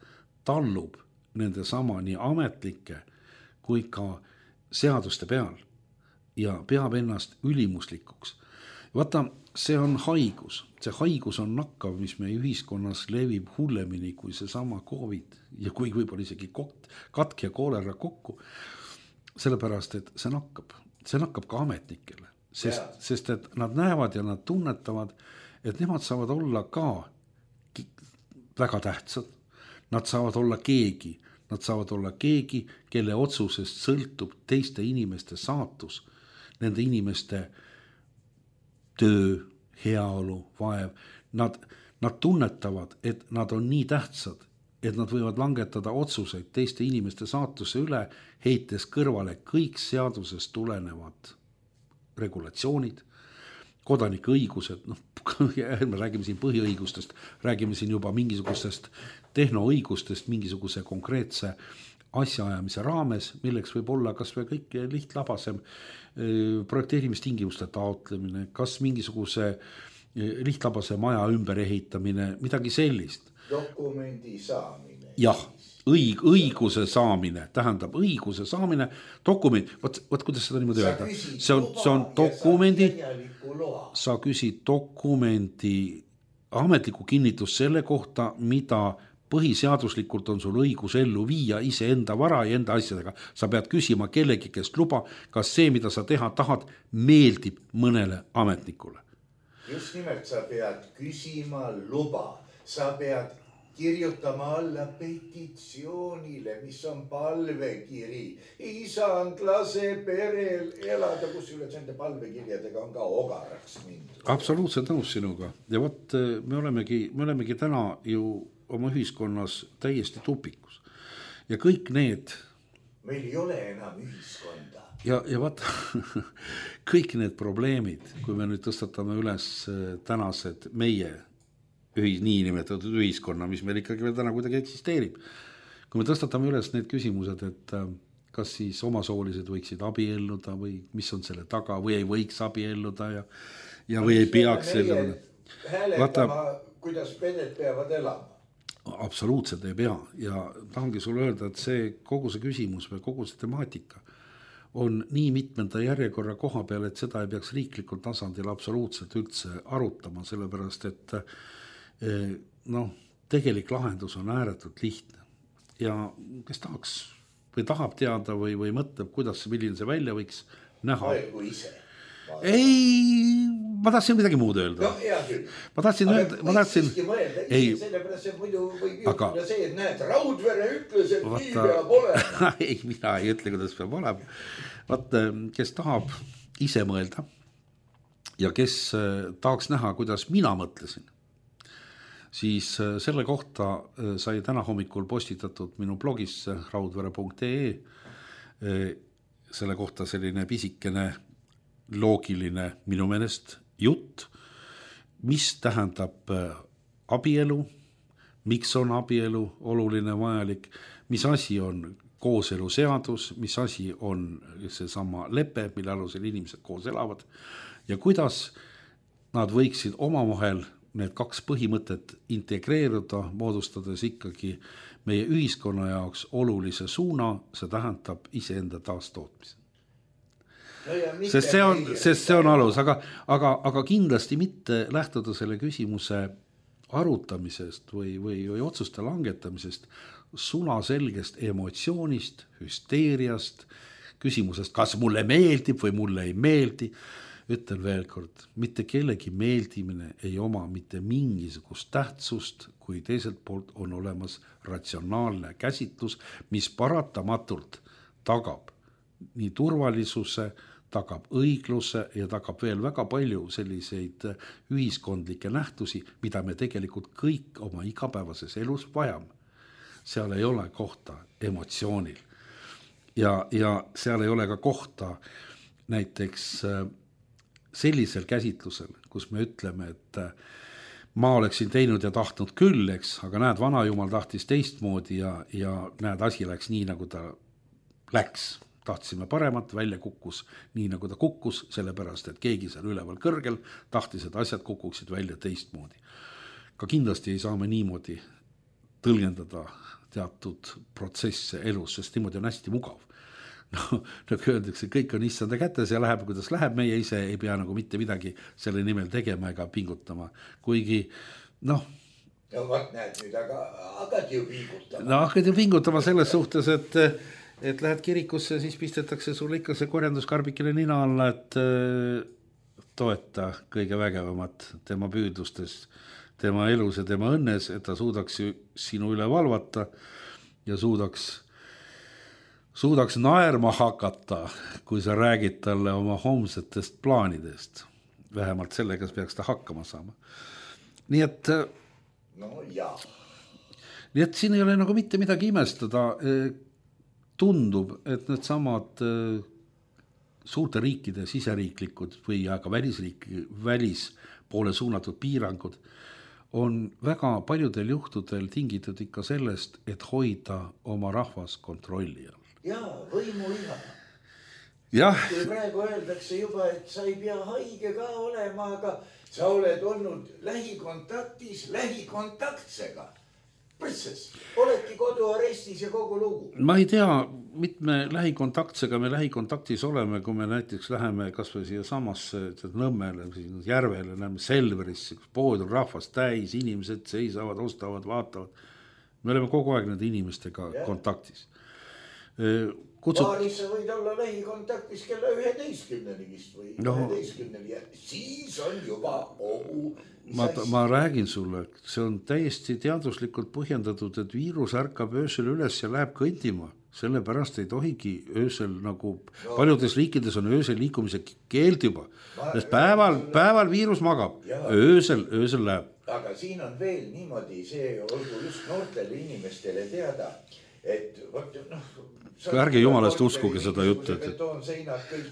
tallub nende sama nii ametlike kui ka seaduste peal ja peab ennast ülimuslikuks. Vaata, see on haigus. See haigus on nakkav, mis meie ühiskonnas levib hullemini kui see sama COVID ja kui võib-olla isegi katk ja koolera kokku. Sellepärast, et see nakkab. See nakkab ka ametnikele. Sest, sest et nad näevad ja nad tunnetavad, et nemad saavad olla ka väga tähtsad. Nad saavad olla keegi. Nad saavad olla keegi, kelle otsusest sõltub teiste inimeste saatus, nende inimeste töö, heaolu, vaev. Nad, nad tunnetavad, et nad on nii tähtsad, et nad võivad langetada otsuseid teiste inimeste saatuse üle, heites kõrvale kõik seadusest tulenevad regulatsioonid, kodanike õigused, noh, me räägime siin põhiõigustest, räägime siin juba mingisugustest tehnoõigustest, mingisuguse konkreetse asjaajamise raames, milleks võib olla kas või kõik lihtlabasem projekteerimistingimuste taotlemine, kas mingisuguse lihtlabase maja ümber ehitamine, midagi sellist. Dokumendi saamine. Jah, õig, õiguse saamine, tähendab õiguse saamine, dokument, võt, võt kuidas seda niimoodi öelda? See on, see on dokumendi, sa küsid dokumendi ametliku kinnitus selle kohta, mida põhiseaduslikult on sul õigus ellu viia ise enda vara ja enda asjadega. Sa pead küsima kellegi, kes luba, kas see, mida sa teha tahad, meeldib mõnele ametnikule. Just nimelt sa pead küsima luba. Sa pead kirjutama alla petitsioonile, mis on palvekiri. Isand lase perel elada, kus üles enda palvekirjadega on ka ogaraks mindud. Absoluutselt nõus sinuga. Ja võt, me olemegi, me olemegi täna ju oma ühiskonnas täiesti tupikus. Ja kõik need... Meil ei ole enam ühiskonda. Ja, ja vaata, kõik need probleemid, kui me nüüd tõstatame üles tänased meie ühis, nii nimetatud ühiskonna, mis meil ikkagi veel täna kuidagi eksisteerib. Kui me tõstatame üles need küsimused, et kas siis omasoolised võiksid abielluda või mis on selle taga või ei võiks abielluda ja, ja või ei peaks selline... hääletama, kuidas pered peavad elama. Absoluutselt ei pea ja tahangi sulle öelda, et see kogu see küsimus või kogu see temaatika on nii mitmenda järjekorra koha peal, et seda ei peaks riiklikul tasandil absoluutselt üldse arutama, sellepärast et noh, tegelik lahendus on ääretult lihtne ja kes tahaks või tahab teada või, või mõtleb, kuidas, milline see välja võiks näha. Aegu ise. Ei, ma tahtsin midagi muud öelda. No, hea küll. Ma tahtsin aga öelda, ma tahtsin... Mõelda, ei, sellepärast see muidu võib juhtuda aga... see, et näed, Raudvere ütles, et Vaata... nii peab olema. ei, mina ei ütle, kuidas peab olema. Vaat, kes tahab ise mõelda ja kes tahaks näha, kuidas mina mõtlesin, siis selle kohta sai täna hommikul postitatud minu blogisse raudvere punkt ee selle kohta selline pisikene loogiline minu meelest jutt, mis tähendab abielu, miks on abielu oluline vajalik, mis asi on kooseluseadus, mis asi on see sama lepe, mille alusel inimesed koos elavad ja kuidas nad võiksid omavahel need kaks põhimõtet integreeruda, moodustades ikkagi meie ühiskonna jaoks olulise suuna, see tähendab iseenda taastootmise. No sest see on, sest see on alus, aga, aga, aga kindlasti mitte lähtuda selle küsimuse arutamisest või, või, või otsuste langetamisest sulaselgest emotsioonist, hüsteeriast, küsimusest, kas mulle meeldib või mulle ei meeldi. Ütlen veel kord, mitte kellegi meeldimine ei oma mitte mingisugust tähtsust, kui teiselt poolt on olemas ratsionaalne käsitlus, mis paratamatult tagab nii turvalisuse, tagab õigluse ja tagab veel väga palju selliseid ühiskondlikke nähtusi, mida me tegelikult kõik oma igapäevases elus vajame. Seal ei ole kohta emotsioonil ja, ja seal ei ole ka kohta näiteks sellisel käsitlusel, kus me ütleme, et ma oleksin teinud ja tahtnud küll, eks, aga näed, vanajumal tahtis teistmoodi ja, ja näed, asi läks nii, nagu ta läks. Tahtsime paremat, välja kukkus nii, nagu ta kukkus, sellepärast, et keegi seal üleval kõrgel tahtis, et asjad kukuksid välja teistmoodi. Ka kindlasti ei saa me niimoodi tõlgendada teatud protsesse elus, sest niimoodi on hästi mugav. No, nagu öeldakse, kõik on issanda kätes ja läheb, kuidas läheb, meie ise ei pea nagu mitte midagi selle nimel tegema ega pingutama. Kuigi, noh... No vaat näed nüüd, aga hakati ju pingutama. No hakati ju pingutama selles suhtes, et, et lähed kirikusse, siis pistetakse sulle ikka see korjanduskarbikele nina alla, et toeta kõige vägevamat tema püüdlustes, tema elus ja tema õnnes, et ta suudaks sinu üle valvata ja suudaks suudaks naerma hakata, kui sa räägid talle oma homsetest plaanidest. Vähemalt sellega peaks ta hakkama saama. Nii et, no jaa. Nii et siin ei ole nagu mitte midagi imestada. Tundub, et need samad suurte riikide siseriiklikud või ka välisriiki, välispoole suunatud piirangud on väga paljudel juhtudel tingitud ikka sellest, et hoida oma rahvas kontrolli all. Jaa, võimu iha. Jah. Kui praegu öeldakse juba, et sa ei pea haige ka olema, aga sa oled olnud lähikontaktis lähikontaktsega. Põsses, oledki koduarestis ja kogu lugu. Ma ei tea, mitme lähikontaktsega me lähikontaktis oleme, kui me näiteks läheme kas või siia samasse Nõmmele, järvele, näeme Selverisse, pood on rahvast täis, inimesed seisavad, ostavad, vaatavad. Me oleme kogu aeg nende inimestega ja. Kontaktis. Kutsut... Paaris sa võid olla lähikontaktis kella üheteistkümneni vist või no. üheteistkümneni ja siis on juba ohu. Ma, ma räägin sulle, see on täiesti teaduslikult põhjendatud, et viirus ärkab öösel üles ja läheb kõndima. Sellepärast ei tohigi öösel nagu no. Paljudes riikides on öösel liikumise keeld juba. Sest päeval, päeval viirus magab, öösel, öösel läheb. Aga siin on veel niimoodi, see olgu just noortele inimestele teada, et võt, noh, ärge jumalast uskuge seda juttu, et,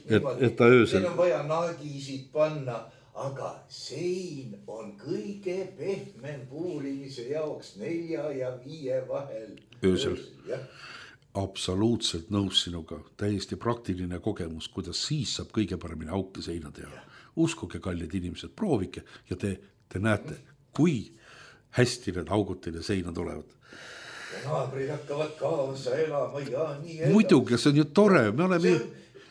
et, et ta öösel. Siin on vaja naagisid panna, aga sein on kõige pehmem puurimise jaoks nelja ja viie vahel. Öösel. öösel absoluutselt nõus sinuga, täiesti praktiline kogemus, kuidas siis saab kõige paremini auke seina teha. Uskuge, kallid inimesed, proovike ja te Te näete, kui hästi need augud teile seina tulevad. Ja naabrid hakkavad kaasa elama ja nii elama. Muidugi, see on ju tore, me oleme ju,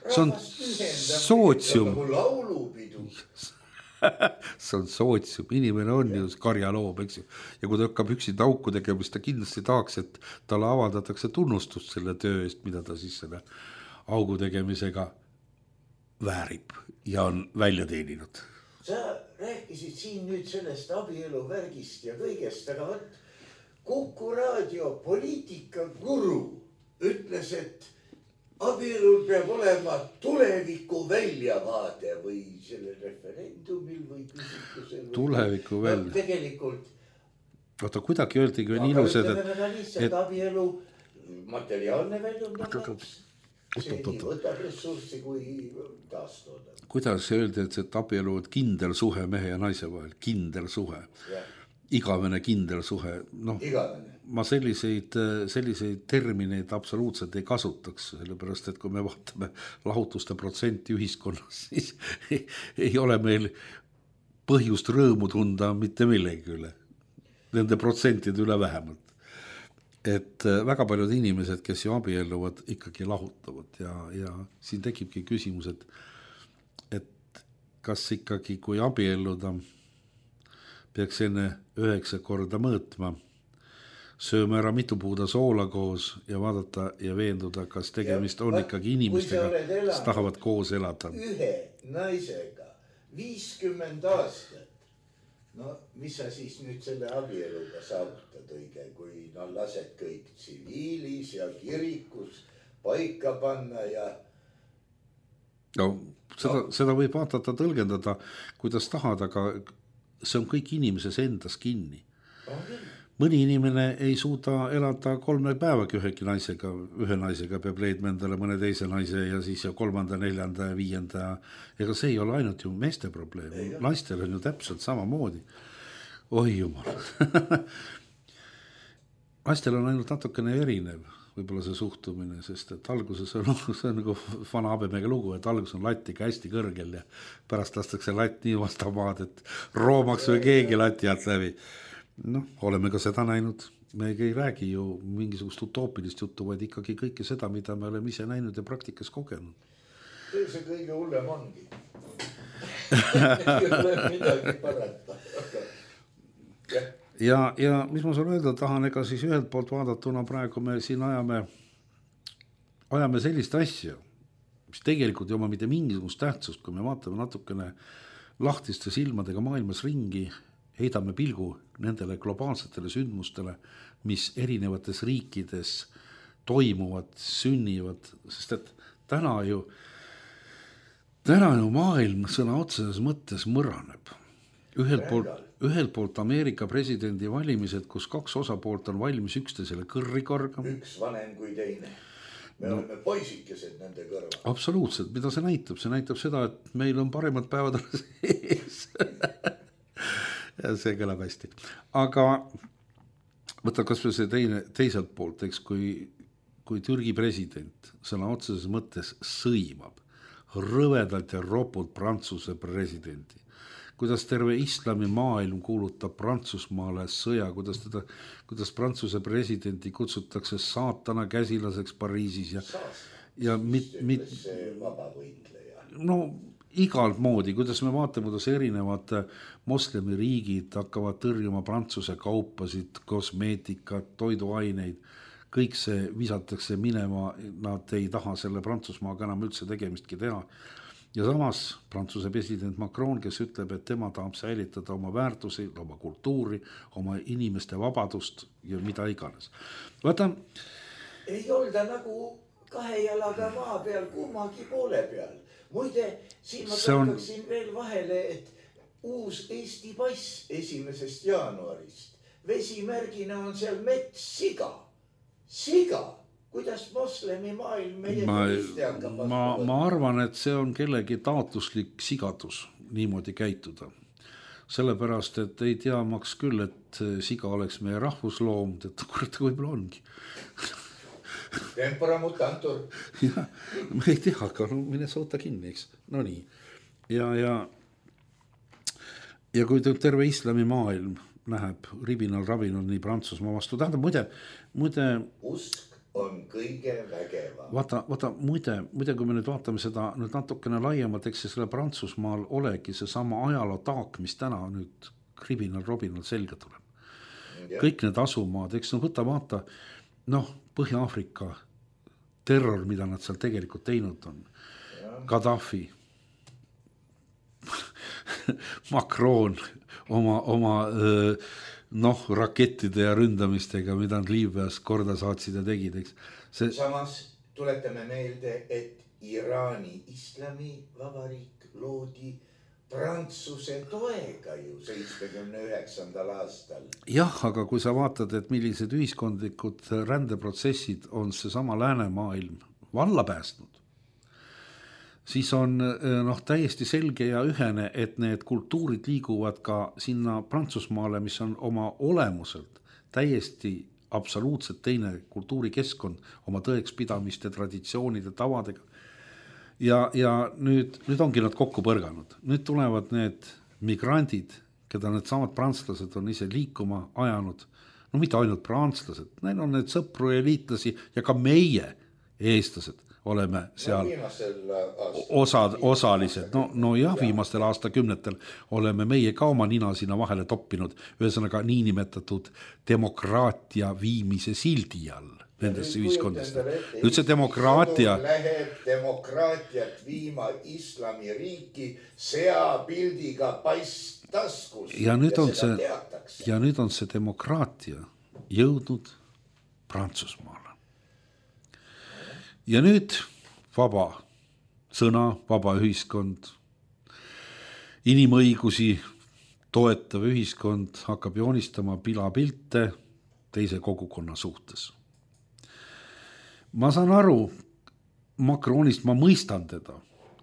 see on sootsium. Nagu laulupidu. See on sootsium, inimene on ju karjaloom, eks ju. Ja kui ta hakkab üksinda auku tegema, siis ta kindlasti tahaks, et talle avaldatakse tunnustust selle töö eest, mida ta siis selle augu tegemisega väärib ja on välja teeninud. Sa rääkisid siin nüüd sellest abielu värgist ja kõigest, aga võt, Kuku raadio poliitika guru ütles, et abielul peab olema tuleviku väljavaade või selle referendumil või küsitlusel. Tuleviku välja. No, tegelikult. Oota, kuidagi öeldi kui on ilused, et... Lihtsalt et... abielu materiaalne väljundab. See nii võtab ressurssi kui taastoodab. Kuidas öeldi, et see abielu on kindel suhe mehe ja naise vahel? Kindel suhe. Ja. Igavene kindel suhe. No, Igavene. Ma selliseid, selliseid termineid absoluutselt ei kasutaks, sellepärast, et kui me vaatame lahutuste protsenti ühiskonnas, siis ei, ei ole meil põhjust rõõmu tunda mitte millegi üle. Nende protsentide üle vähemalt. Et väga paljud inimesed, kes ju abielluvad, ikkagi lahutavad ja, ja siin tekibki küsimus, et, et kas ikkagi, kui abielluda, peaks enne üheksa korda mõõtma, sööme ära mitu puuda soola koos ja vaadata ja veenduda, kas tegemist ja, on ikkagi inimestega, kes tahavad koos elada. Ühe naisega viiskümmend aastat. No, mis sa siis nüüd selle abieluga saavutad õige, kui no, lased kõik tsiviilis ja kirikus paika panna ja... No, seda, no. seda võib vaatata, tõlgendada, kuidas tahad, aga see on kõik inimeses endas kinni. Okay. Mõni inimene ei suuda elada kolme päevagi ühegi naisega, ühe naisega peab leidma endale mõne teise naise ja siis ja kolmanda, neljanda ja viienda. Ega see ei ole ainult ju meeste probleem. Ei, naistel on ju täpselt samamoodi. Oi jumal. Naistel on ainult natukene erinev võib-olla see suhtumine, sest et alguses on, see on nagu vana habemega lugu, et alguses on latiga hästi kõrgel ja pärast lastakse latt nii vastamaad, et roomaks või keegi lati alt läbi. Noh, oleme ka seda näinud. Me ei räägi ju mingisugust utoopilist juttu, vaid ikkagi kõike seda, mida me oleme ise näinud ja praktikas kogenud. See kõige hullem ongi. Ei ole midagi parata. Ja, ja mis ma sulle öelda tahan, ega siis ühelt poolt vaadatuna praegu me siin ajame, ajame sellist asja, mis tegelikult ei oma mitte mingisugust tähtsust, kui me vaatame natukene lahtiste silmadega maailmas ringi, heidame pilgu nendele globaalsetele sündmustele, mis erinevates riikides toimuvad, sünnivad, sest et täna ju, täna ju maailm sõna otseses mõttes mõraneb. Ühelt poolt, ühelt poolt Ameerika presidendi valimised, kus kaks osapoolt on valmis üksteisele kõrri korgama. Üks vanem kui teine. Me no, oleme poisikesed nende kõrval. Absoluutselt, mida see näitab? See näitab seda, et meil on paremad päevad sees. Ja see kõlab hästi. Aga võta kas või see teine, teiselt poolt, eks, kui, kui Türgi president sõna otseses mõttes sõimab rõvedalt ja ropult Prantsuse presidenti. Kuidas terve islami maailm kuulutab Prantsusmaale sõja, kuidas, teda, kuidas Prantsuse presidenti kutsutakse saatana käsilaseks Pariisis ja, ja mit, mit, no igalt moodi, kuidas me vaatame, kuidas erinevad moslemi riigid hakkavad tõrjuma Prantsuse kaupasid, kosmeetikat, toiduaineid, kõik see visatakse minema, nad ei taha selle Prantsusmaaga enam üldse tegemistki teha. Ja samas Prantsuse president Macron, kes ütleb, et tema tahab säilitada oma väärtusi, oma kultuuri, oma inimeste vabadust ja mida iganes. Vaata, ei olda nagu kahe jalaga maa peal, kummagi poole peal. Muide, siin ma tarkaksin on... veel vahele, et uus Eesti pass esimesest jaanuarist. Vesimärgina on seal mets siga. Siga. Kuidas moslemi maailm meie ma, ma, ma arvan, et see on kellegi taotluslik sigadus niimoodi käituda. Sellepärast, et ei tea maks küll, et siga oleks meie rahvusloom, et kurat võib-olla ongi. Tempora mutantur. Ja, ma ei tea, aga no mine soota kinni, eks. No nii. Ja, ja ja kui terve islamimaailm läheb ribinal-rabinal nii Prantsusmaa vastu, tähendab muide, muide usk on kõige vägevam. Vaata, vaata muide, muide, kui me nüüd vaatame seda nüüd natukene laiemalt, eks selle Prantsusmaal olegi see sama ajaloo taak, mis täna nüüd ribinal-robinal selga tuleb. Ja. Kõik need asumaad, eks no võta vaata, noh, Põhja-Aafrika terror, mida nad seal tegelikult teinud on. Ja. Gaddafi, Macron oma, oma noh, rakettide ja ründamistega, mida nad Liibüas korda saatsid ja tegid, eks. See... Samas tuletame meelde, et Iraani islamivabariik loodi Prantsuse toega ju seitsmekümne üheksandal aastal. Jah, aga kui sa vaatad, et millised ühiskondlikud rändeprotsessid on see sama läänemaailm valla päästnud, siis on noh, täiesti selge ja ühene, et need kultuurid liiguvad ka sinna Prantsusmaale, mis on oma olemuselt täiesti absoluutselt teine kultuurikeskkond oma tõekspidamiste, traditsioonide, tavadega. Ja, ja nüüd, nüüd ongi nad kokku põrganud. Nüüd tulevad need migrandid, keda need samad prantslased on ise liikuma ajanud. No mitte ainult prantslased, neil on need sõpru ja liitlasi ja ka meie eestlased oleme seal osad, osalised. No, no jah, viimastel aastakümnetel oleme meie ka oma nina sinna vahele toppinud, ühesõnaga niinimetatud demokraatia viimise sildi all nendesse ühiskondadesse. Nüüd see demokraatia läheb demokraatiat viima islamiriiki seapildiga paistaskus. Ja nüüd on see, ja nüüd on see demokraatia jõudnud Prantsusmaale. Ja nüüd vaba sõna, vaba ühiskond, inimõigusi toetav ühiskond hakkab joonistama pilapilte teise kogukonna suhtes. Ma saan aru, Macronist ma mõistan teda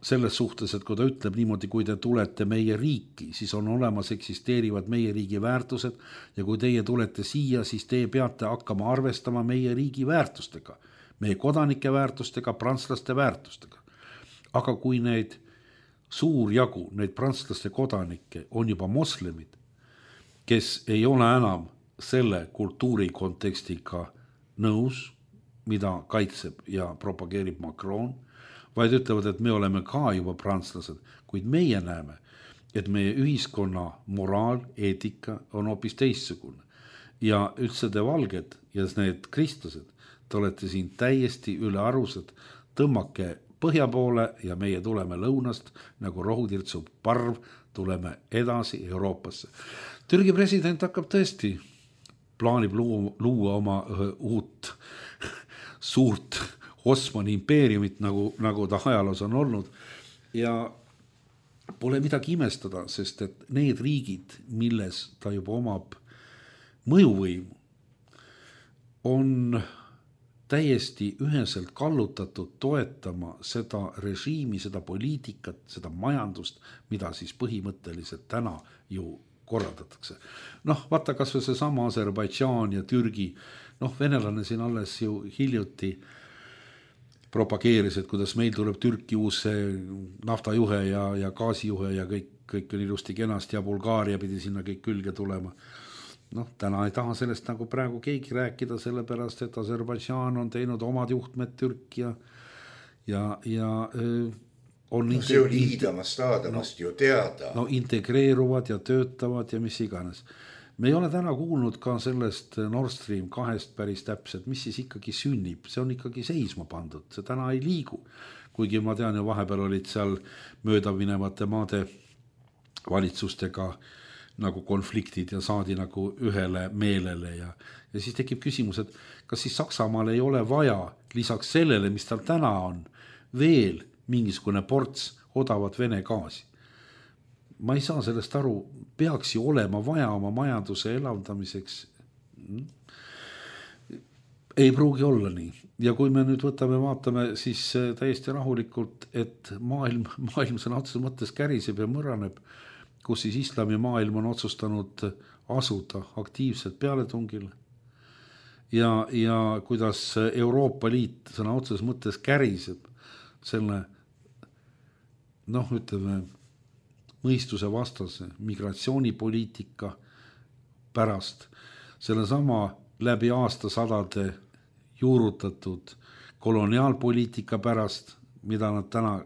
selles suhtes, et kui ta ütleb niimoodi, kui te tulete meie riiki, siis on olemas, eksisteerivad meie riigi väärtused ja kui teie tulete siia, siis te peate hakkama arvestama meie riigi väärtustega. Meie kodanike väärtustega, prantslaste väärtustega. Aga kui neid suur jagu, neid prantslaste kodanikke on juba moslemid, kes ei ole enam selle kultuuri kontekstiga nõus, mida kaitseb ja propageerib Macron, vaid ütlevad, et me oleme ka juba prantslased, kuid meie näeme, et meie ühiskonna moraal, eetika on hoopis teissugune. Ja üldse te valged ja need kristlased, te olete siin täiesti üle arused, tõmmake põhja poole ja meie tuleme lõunast, nagu rohutirtsu parv, tuleme edasi Euroopasse. Türgi president hakkab tõesti, plaanib luua, luua oma uut suurt Osmani impeeriumit, nagu, nagu ta ajaloos on olnud. Ja pole midagi imestada, sest et need riigid, milles ta juba omab mõjuvõimu, on täiesti üheselt kallutatud toetama seda režiimi, seda poliitikat, seda majandust, mida siis põhimõtteliselt täna ju korraldatakse. Noh, vaata kas või see sama Aserbaidžaan ja Türgi, noh, venelane siin alles ju hiljuti propageeris, et kuidas meil tuleb Türki uus naftajuhe ja, ja gaasijuhe ja kõik, kõik on ilusti kenasti ja Bulgaaria pidi sinna kõik külge tulema. Noh, täna ei taha sellest nagu praegu keegi rääkida, sellepärast, et Aserbaidžaan on teinud omad juhtmed Türki ja, ja, ja on no, see oli hiidamast aadamast no, ju teada. No integreeruvad ja töötavad ja mis iganes. Me ei ole täna kuulnud ka sellest Nord Stream kahest päris täpselt, mis siis ikkagi sünnib. See on ikkagi seisma pandud, see täna ei liigu. Kuigi ma tean ju vahepeal olid seal möödaminevate maade valitsustega nagu konfliktid ja saadi nagu ühele meelele ja, ja siis tekib küsimus, et kas siis Saksamaal ei ole vaja lisaks sellele, mis tal täna on, veel mingisugune ports odavat Vene gaasi. Ma ei saa sellest aru, peaks ju olema vaja oma majanduse elavdamiseks. Ei pruugi olla nii. Ja kui me nüüd võtame, vaatame, siis täiesti rahulikult, et maailm, maailm sõna otseses mõttes käriseb ja mõraneb, kus siis islamimaailm on otsustanud asuda aktiivselt pealetungil ja, ja kuidas Euroopa Liit sõna otseses mõttes käriseb selle, noh, ütleme, mõistuse vastase migratsioonipoliitika pärast, selle sama läbi aastasadade juurutatud koloniaalpoliitika pärast, mida nad täna,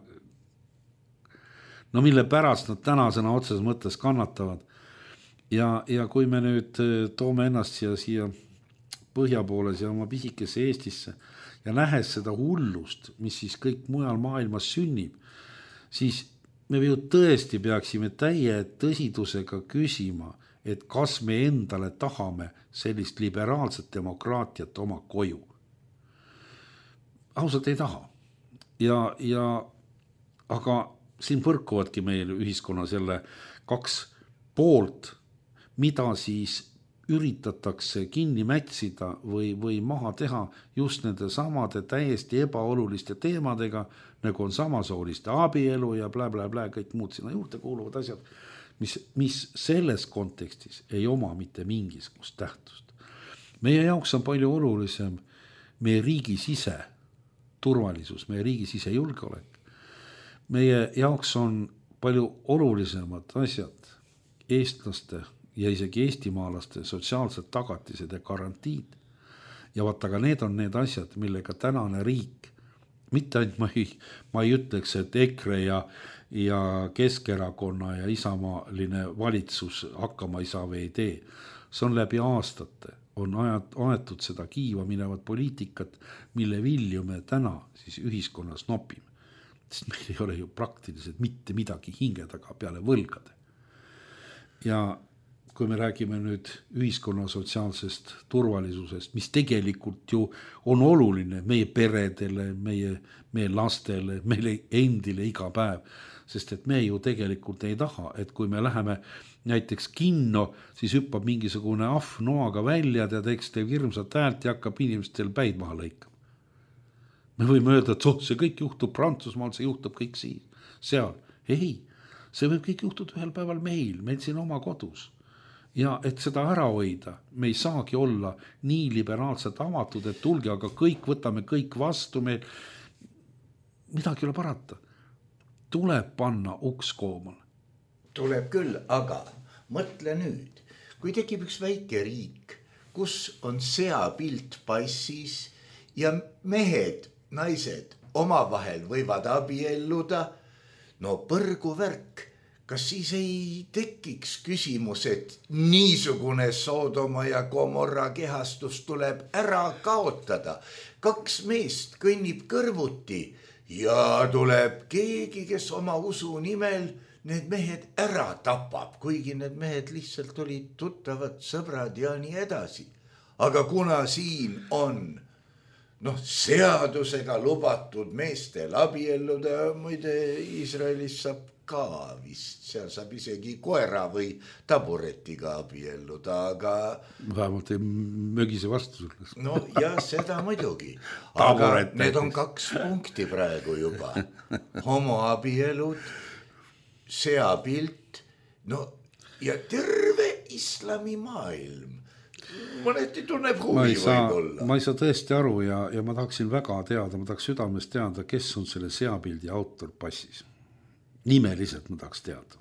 no mille pärast nad tänasena otseses mõttes kannatavad. Ja, ja kui me nüüd toome ennast siia, siia põhja poole, siia oma pisikesse Eestisse ja nähes seda hullust, mis siis kõik mujal maailmas sünnib, siis me ju tõesti peaksime täie tõsidusega küsima, et kas me endale tahame sellist liberaalset demokraatiat oma koju. Ausalt ei taha. Ja, ja, aga siin põrkuvadki meil ühiskonnas jälle kaks poolt, mida siis üritatakse kinni mätsida või, või maha teha just nende samade täiesti ebaoluliste teemadega, nagu on samasooliste abielu ja blä, blä, blä, kõik muud sinna juurde kuuluvad asjad, mis, mis selles kontekstis ei oma mitte mingisugust tähtust. Meie jaoks on palju olulisem meie riigi sise turvalisus, meie riigi sise julgeolek. Meie jaoks on palju olulisemad asjad eestlaste ja isegi eestimaalaste sotsiaalsed tagatised ja garantiid. Ja vaata, aga need on need asjad, millega tänane riik, mitte ainult ma ei, ma ei ütleks, et EKRE ja, ja Keskerakonna ja isamaaline valitsus hakkama ei saa või ei tee. See on läbi aastate, on aetud seda kiiva minevat poliitikat, mille vilju me täna siis ühiskonnas nopime. Sest meil ei ole ju praktiliselt mitte midagi hinge taga peale võlgade. Ja kui me räägime nüüd ühiskonna sotsiaalsest turvalisusest, mis tegelikult ju on oluline meie peredele, meie, meie lastele, meile endile iga päev, sest et me ju tegelikult ei taha, et kui me läheme näiteks kinno, siis hüppab mingisugune ahv noaga välja ja teeks teeb hirmsat häält ja hakkab inimestel päid maha lõikama. Me võime öelda, et oh, see kõik juhtub Prantsusmaal, see juhtub kõik siin, seal. Ei, see võib kõik juhtuda ühel päeval meil, meil siin oma kodus. Ja et seda ära hoida, me ei saagi olla nii liberaalselt avatud, et tulge, aga kõik võtame kõik vastu, meil midagi ei ole parata. Tuleb panna uks koomal. Tuleb küll, aga mõtle nüüd, kui tekib üks väike riik, kus on seapilt passis ja mehed, naised omavahel võivad abielluda, no põrgu värk. Kas siis ei tekiks küsimus, et niisugune Soodoma ja Gomorra kehastus tuleb ära kaotada? Kaks meest kõnnib kõrvuti ja tuleb keegi, kes oma usu nimel need mehed ära tapab, kuigi need mehed lihtsalt olid tuttavad, sõbrad ja nii edasi. Aga kuna siin on noh, seadusega lubatud meestel abielluda, muide Iisraelis saab ka vist, seal saab isegi koera või taburetiga abielluda, aga vähemalt ei mögise vastu sulle. No ja seda muidugi, aga need on kaks punkti praegu juba. Homoabielud, seapilt, no ja terve islamimaailm. Mõneti tunneb huvi võib-olla. Ma ei saa tõesti aru ja, ja ma tahaksin väga teada, ma tahaks südamest teada, kes on selle seapildi autor passis. Nimeliselt ma tahaks teada.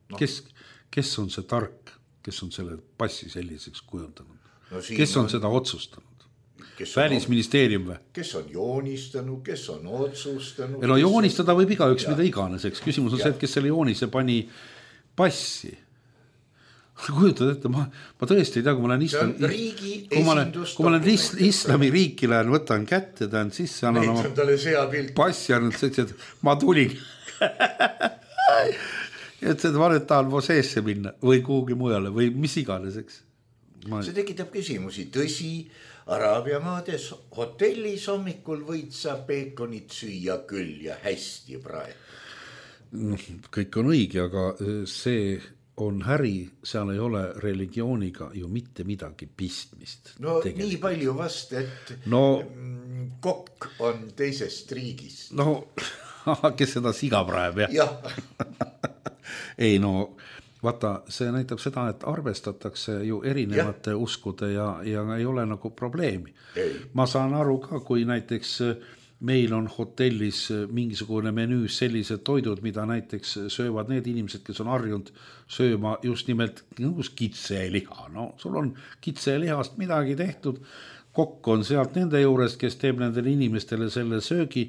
No. Kes, kes on see tark, kes on selle passi selliseks kujundanud? No kes on, on seda otsustanud? Välisministeerium või? Kes on joonistanud, kes on otsustanud? No joonistada võib igaüks mida iganeseks. Küsimus on ja. see, et kes selle joonise pani passi. Kujutad ette, ma, ma tõesti ei tea, kui ma olen islam, kui ma olen, kui ma olen is, islami riiki lähen, võtan kätte, tähen sisse, annan oma passi, et ma tulin. et seda ma nüüd tahan Moseesse minna või kuhugi mujale või mis iganeseks. Ma... See tekitab küsimusi. Tõsi, Araabia maades hotellis hommikul võid sa peekonit süüa küll ja hästi praegu. Kõik on õige, aga see... on häri, seal ei ole religiooniga ju mitte midagi pistmist. No tegelikult. Nii palju vast, et no, kokk on teisest riigist. No, kes seda siga praeb, jah? jah. ei no, vaata, see näitab seda, et arvestatakse ju erinevate ja. uskude ja, ja ei ole nagu probleemi. Ei. Ma saan aru ka, kui näiteks meil on hotellis mingisugune menüüs sellised toidud, mida näiteks söövad need inimesed, kes on harjunud sööma just nimelt kitseliha. No sul on kitselihast midagi tehtud, kokk on sealt nende juures, kes teeb nendele inimestele selle söögi.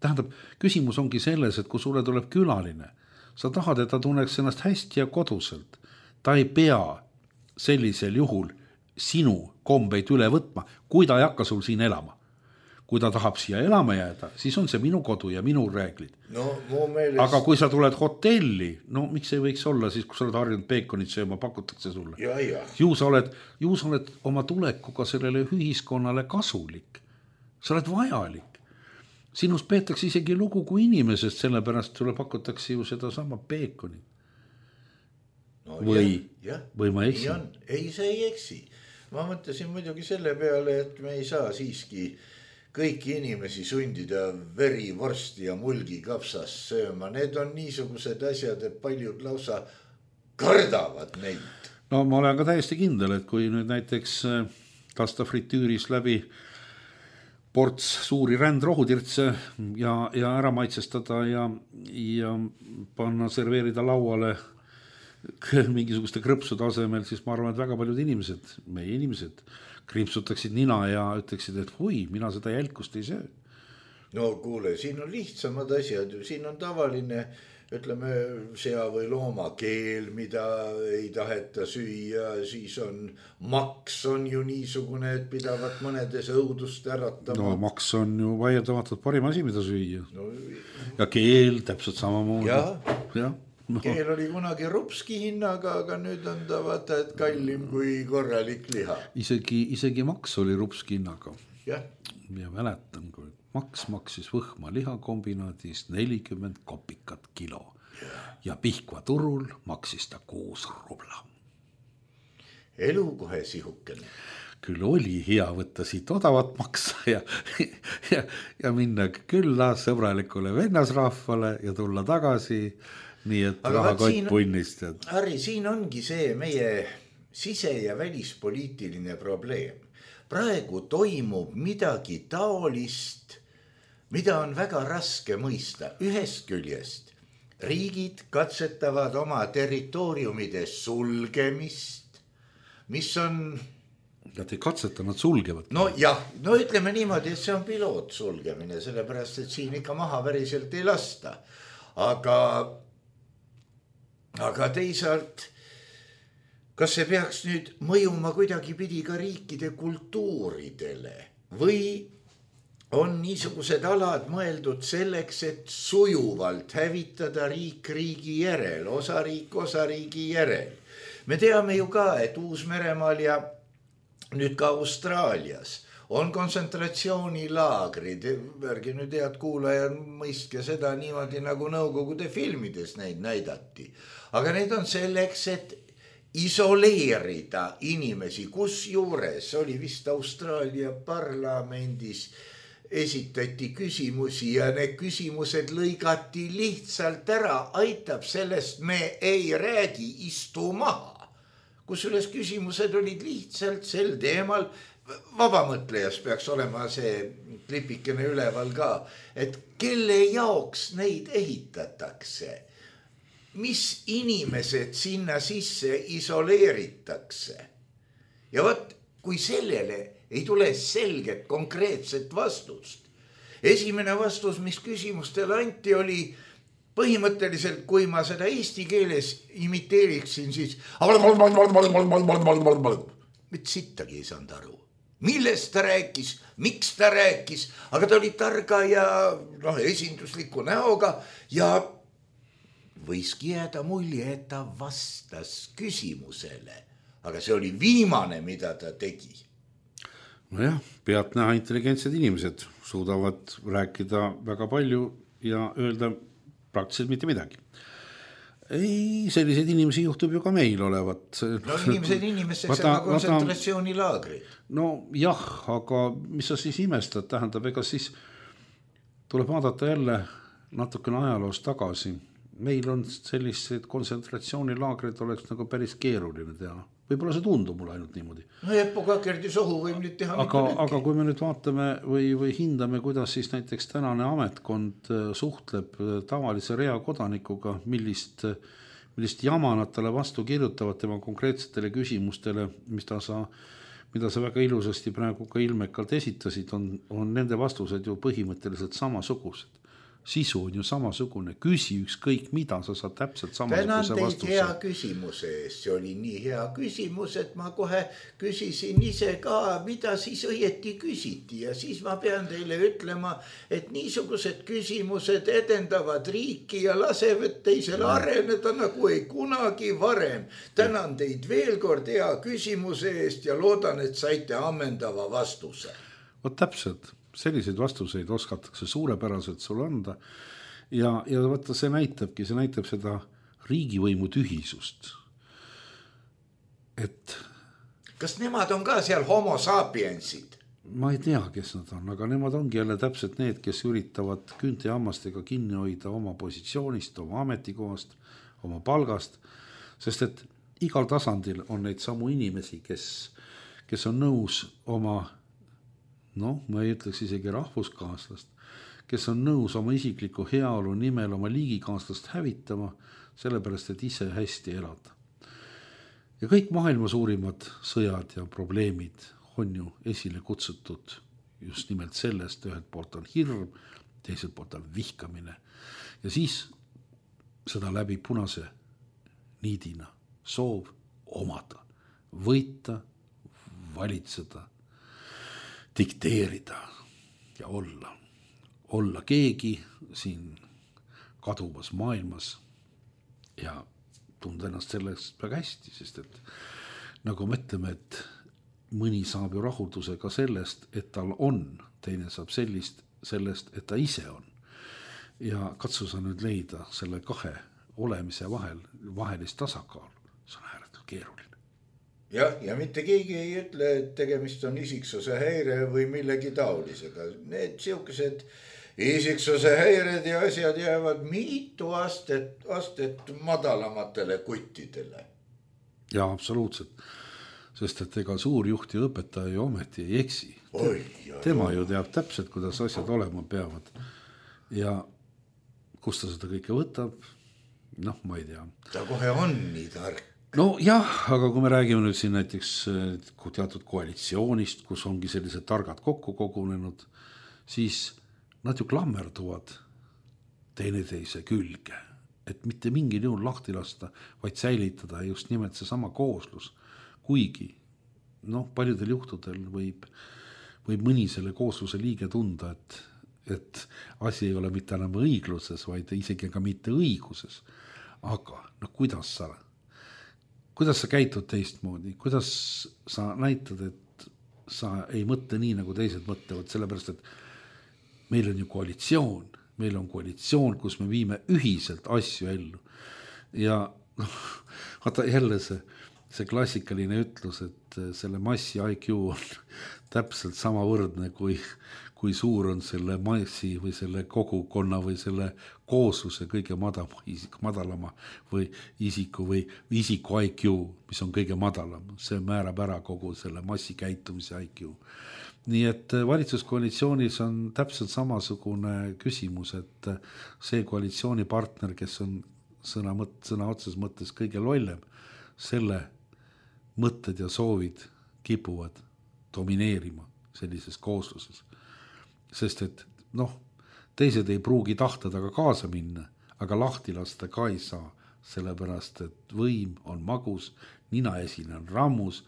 Tähendab, küsimus ongi selles, et kui sulle tuleb külaline, sa tahad, et ta tunneks ennast hästi ja koduselt. Ta ei pea sellisel juhul sinu kombeid üle võtma, kui ta ei hakka sul siin elama. Kui ta tahab siia elama jääda, siis on see minu kodu ja minu reeglid. No, meelest... Aga kui sa tuled hotelli, no miks ei võiks olla siis, kui sa oled harjunud peekonit sööma, pakutakse sulle. Ja, ja. Ju sa oled, ju sa oled oma tulekuga sellele ühiskonnale kasulik. Sa oled vajalik. Sinust peetakse isegi lugu kui inimesest, sellepärast sulle pakutakse ju seda sama peekonit. No, või, ja, ja. või ma eksin? Ei, see ei eksi. Ma mõtlesin muidugi selle peale, et me ei saa siiski kõiki inimesi sundida veri, vorsti ja mulgi kapsas sööma. Need on niisugused asjad, et paljud lausa kardavad neid. No ma olen ka täiesti kindel, et kui nüüd näiteks lasta fritüüris läbi ports suuri rändrohutirtse ja, ja ära maitsestada ja, ja panna serveerida lauale mingisuguste krõpsude asemel, siis ma arvan, et väga paljud inimesed, meie inimesed, krimpsutaksid nina ja ütleksid, et hui, mina seda jälkust ei söö. No kuule, siin on lihtsamad asjad, siin on tavaline, ütleme, sea või looma keel, mida ei taheta süüa, siis on maks on ju niisugune, et pidavat mõnedes õudust äratama. No maks on ju vaieldamatult parim asi, mida süüa. No, ja keel täpselt samamoodi. Ja, ja. No. Keel oli kunagi rupski hinnaga, aga nüüd on ta vaata, et kallim kui korralik liha. Isegi, isegi maks oli rupski hinnaga. Ja. Ja mäletan, kui maks maksis Võhma lihakombinaadis nelikümmend kopikat kilo. Ja, ja Pihkva turul maksis ta kuus rubla. Elu kohe sihukene. Küll oli hea võtta siit odavat maksa ja, ja, ja minna külla sõbralikule vennasrahvale ja tulla tagasi. Nii et rahakott punnist. Harri, siin ongi see meie sise- ja välispoliitiline probleem. Praegu toimub midagi taolist, mida on väga raske mõista. Ühest küljest riigid katsetavad oma territooriumide sulgemist, mis on... Nad ei katseta, nad sulgevad. No jah, no ütleme niimoodi, et see on piloot sulgemine, sellepärast, et siin ikka maha päriselt ei lasta. Aga... Aga teisalt, kas see peaks nüüd mõjuma kuidagi pidi ka riikide kultuuridele või on niisugused alad mõeldud selleks, et sujuvalt hävitada riik riigi järel, osariik osariigi järel. Me teame ju ka, et Uus-Meremaal ja nüüd ka Austraalias on kontsentratsioonilaagrid, ärge nüüd head kuulajad mõistke seda niimoodi nagu Nõukogude filmides neid näidati. Aga need on selleks, et isoleerida inimesi, kus juures oli vist Austraalia parlamendis esitati küsimusi ja need küsimused lõigati lihtsalt ära, aitab sellest me ei räägi, istu maha. Kus üles küsimused olid lihtsalt sel teemal, vabamõtlejas peaks olema see klipikene üleval ka, et kelle jaoks neid ehitatakse, mis inimesed sinna sisse isoleeritakse. Ja võt, kui sellele ei tule selget konkreetset vastust. Esimene vastus, mis küsimustele anti, oli põhimõtteliselt, kui ma seda eesti keeles imiteeriksin, siis mit sittagi ei saanud aru. Millest ta rääkis, miks ta rääkis, aga ta oli targa ja no, esindusliku näoga ja võiski jääda mulje, et ta vastas küsimusele. Aga see oli viimane, mida ta tegi. Nojah, pealtnäha intelligentsed inimesed suudavad rääkida väga palju ja öelda praktiliselt mitte midagi. Ei, selliseid inimesi juhtub ju ka meil olevat. No inimesed inimesteks on kontsentratsioonilaagri. No jah, aga mis sa siis imestad, tähendab, ega siis tuleb vaadata jälle natukene ajaloos tagasi. Meil on sellised kontsentratsioonilaagrid oleks nagu päris keeruline teha. võib-olla see tundub mulle ainult niimoodi. No Eppo Kakerdi sohu võib nüüd teha aga, aga kui me nüüd vaatame või, või hindame, kuidas siis näiteks tänane ametkond suhtleb tavalise rea kodanikuga, millist, millist jama nad talle vastu kirjutavad tema konkreetsetele küsimustele, mis ta sa, mida sa väga ilusasti praegu ka ilmekalt esitasid, on, on nende vastused ju põhimõtteliselt samasugused. Sisu on ju samasugune, küsi ükskõik mida, sa saad täpselt samasuguse vastuse. Tänan teid hea küsimuse eest, see oli nii hea küsimus, et ma kohe küsisin ise ka, mida siis õieti küsiti ja siis ma pean teile ütlema, et niisugused küsimused edendavad riiki ja lasevad teisel areneda nagu ei kunagi varem. Tänan teid veel kord hea küsimuse eest ja loodan, et saite ammendava vastuse. Vot täpselt. Selliseid vastuseid oskatakse suurepäraselt sul anda ja, ja võtta see näitabki, see näitab seda riigivõimu tühisust. Et kas nemad on ka seal homo sapiensid? Ma ei tea, kes nad on, aga nemad ongi jälle täpselt need, kes üritavad küünte ja hammastega kinni hoida oma positsioonist, oma ametikohast, oma palgast, sest et igal tasandil on neid samu inimesi, kes, kes on nõus oma noh, ma ei ütleks isegi rahvuskaaslast, kes on nõus oma isikliku heaolu nimel oma liigikaaslast hävitama, sellepärast, et ise hästi elada. Ja kõik maailma suurimad sõjad ja probleemid on ju esile kutsutud just nimelt sellest, ühelt poolt on hirm, teiselt poolt on vihkamine ja siis seda läbi punase niidina soov omada, võita, valitseda, dikteerida ja olla, olla keegi siin kaduvas maailmas ja tunda ennast sellest väga hästi, sest et nagu me ütleme, et mõni saab ju rahuldusega sellest, et tal on, teine saab sellist, sellest, et ta ise on. Ja katsu sa nüüd leida selle kahe olemise vahel, vahelist tasakaalu, see on ääretult keeruline. Jah, ja mitte keegi ei ütle, et tegemist on isiksuse häire või millegi taolisega. Need siukesed isiksuse häired ja asjad jäävad mitu astet, astet madalamatele kuttidele. Ja absoluutselt, sest et ega suurjuht ja õpetaja ju ometi ei eksi. Oi, Tema ju teab täpselt, kuidas asjad olema peavad ja kus ta seda kõike võtab, noh, ma ei tea. Ta kohe on nii tark. No jah, aga kui me räägime nüüd siin näiteks teatud koalitsioonist, kus ongi sellised targad kokku kogunenud, siis nad ju klammerduvad teineteise külge, et mitte mingil juhul lahti lasta, vaid säilitada just nimelt see sama kooslus. Kuigi, noh, paljudel juhtudel võib, võib mõni selle koosluse liige tunda, et, et asi ei ole mitte enam õigluses, vaid isegi ka mitte õiguses. Aga, noh, kuidas sa Kuidas sa käitud teistmoodi? Kuidas sa näitad, et sa ei mõtle nii, nagu teised mõtlevad, sellepärast, et meil on ju koalitsioon, meil on koalitsioon, kus me viime ühiselt asju ellu. Ja noh, vaata jälle see, see klassikaline ütlus, et selle massi I Q on täpselt sama võrdne, kui, kui suur on selle massi või selle kogukonna või selle koosluse kõige madalama, isik, madalama või isiku või isiku I Q, mis on kõige madalam. See määrab ära kogu selle massi käitumise I Q. Nii et valitsuskoalitsioonis on täpselt samasugune küsimus, et see koalitsioonipartner, kes on sõna, mõt, sõna otses mõttes kõige lollem, selle mõtted ja soovid kipuvad domineerima sellises koosluses. Sest et noh, teised ei pruugi tahta taga kaasa minna, aga lahti lasta ka ei saa, sellepärast et võim on magus, ninaesine on rammus,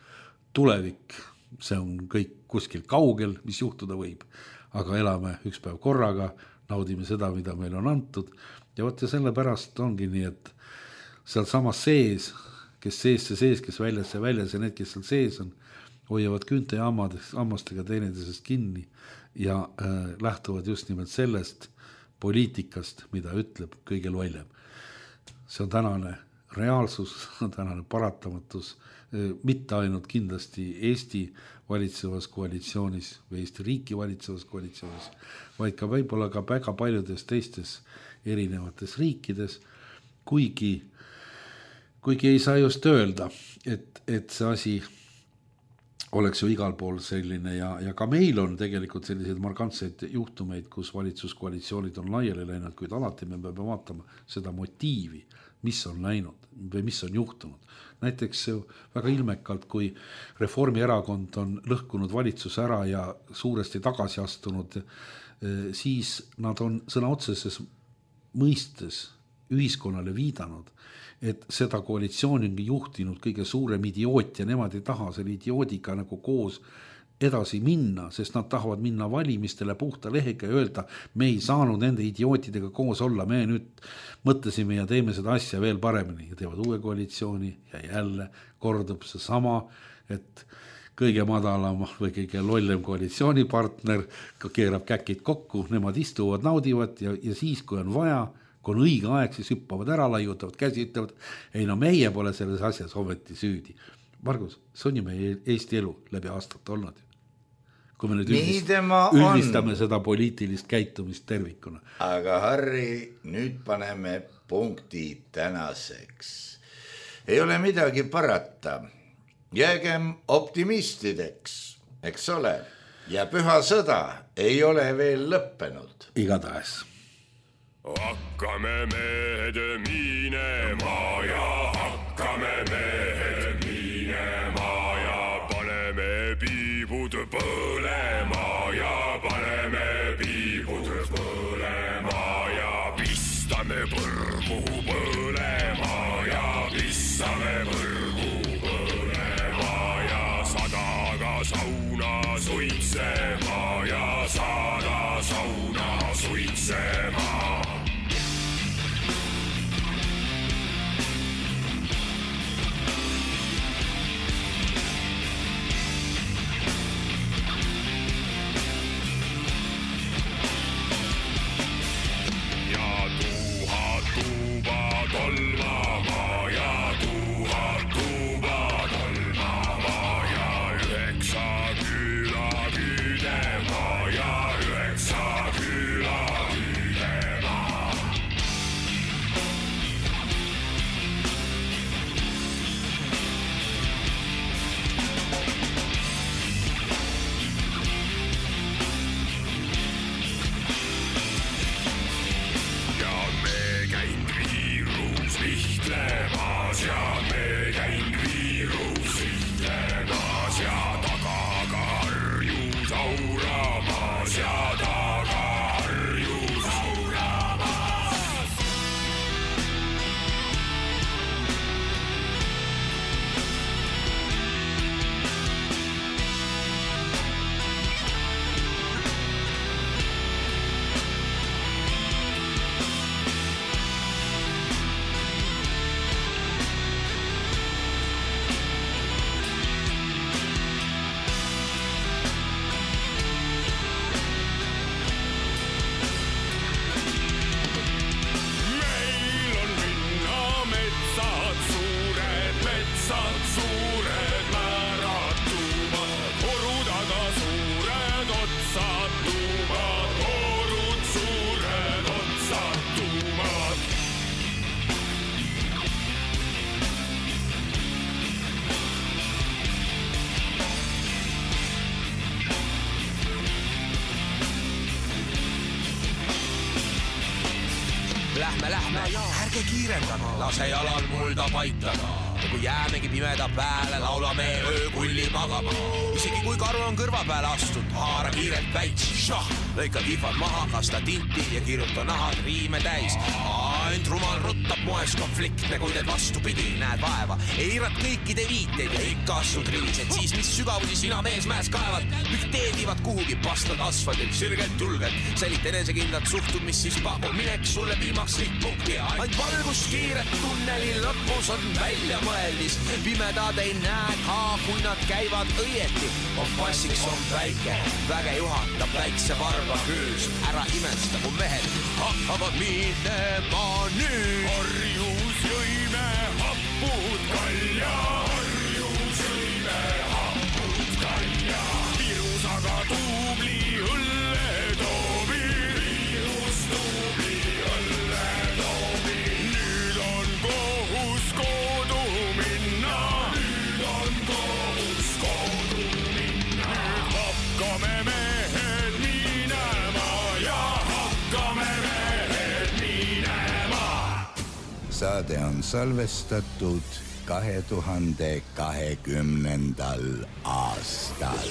tulevik, see on kõik kuskil kaugel, mis juhtuda võib, aga elame üks päev korraga, naudime seda, mida meil on antud ja võtte sellepärast ongi nii, et seal samas sees, kes sees see sees, kes väljas see väljas ja need, kes seal sees on, hoiavad küünte ja hammastega teineteisest kinni ja äh, lähtuvad just nimelt sellest poliitikast, mida ütleb kõige lollem. See on tänane reaalsus, on tänane paratamatus, äh, mitte ainult kindlasti Eesti valitsevas koalitsioonis või Eesti riiki valitsevas koalitsioonis, vaid ka võib-olla ka väga paljudes teistes erinevates riikides, kuigi kuigi ei saa just öelda, et, et see asi oleks ju igal pool selline ja, ja ka meil on tegelikult selliseid markantseid juhtumeid, kus valitsuskoalitsioonid on laiali läinud, kuid alati me peame vaatama seda motiivi, mis on läinud või mis on juhtunud. Näiteks väga ilmekalt, kui Reformierakond on lõhkunud valitsuse ära ja suuresti tagasi astunud, siis nad on sõna otseses mõistes ühiskonnale viidanud, et seda koalitsiooni on juhtinud kõige suurem idioot ja nemad ei taha selle idioodiga nagu koos edasi minna, sest nad tahavad minna valimistele puhta lehega ja öelda, me ei saanud nende idiootidega koos olla, me nüüd mõtlesime ja teeme seda asja veel paremini ja teevad uue koalitsiooni ja jälle kordub see sama, et kõige madalam või kõige lollem koalitsioonipartner keerab käkid kokku, nemad istuvad, naudivad ja, ja siis, kui on vaja, kui on õige aeg, siis hüppavad ära, laiutavad, käsi ütlevad, ei no meie pole selles asjas ometi süüdi. Margus, see on ju meie Eesti elu läbi aastat olnud. Kui me nüüd üldist, üldistame seda poliitilist käitumist tervikuna. Aga Harri, nüüd paneme punkti tänaseks. Ei ole midagi parata. Jäägem optimistideks, eks ole. Ja püha sõda ei ole veel lõppenud. Igatahes. Hakkame mehed minema ja hakkame mehed minema ja paneme piibud põlema ja paneme piibud põlema ja pistame põrgu põlema ja pistame põrgu põlema ja sadaga sauna suitsema ja sada sauna suitsema. Lähme, lähme, ärge kiirendame, lase jalal mulda paitada. Ja kui jäämegi pimeda pääle, laulame öökulli magama. Isegi kui karu on kõrva pääle astud, haara kiirelt päits. Šah, lõika kihvad maha, kasta tinti ja kirjuta nahad riime täis. Ainult rumal ruttab moes konfliktne, kui teed vastupidi, näed vaeva. Eirad kõikide viiteid ja ikka astud rivised. Siis mis sügavusi sina mees mäes kaevad, dikteedivad kuhugi pastad asfaldilt, sirgelt julgelt. Sälit enesekindlat suhtud, mis siis pakub minek sulle viimaks lihtpunkti. Ainult valgust kiiret tunneli lõpus on välja mõeldis. Pimedad ei näe ka, kui nad käivad õieti. Kompassiks on väike, väge juhatab väikse varba küüs. Ära imesta, kui mehed hakkavad minema nüüd. Harjus jõime hapud kalja, harjus jõime hapud kalja. Virus aga tuubli õlle toobi, virus tuubli õlle toobi. Nüüd on kohus koodu saade on salvestatud kahe tuhande kahekümnendal aastal.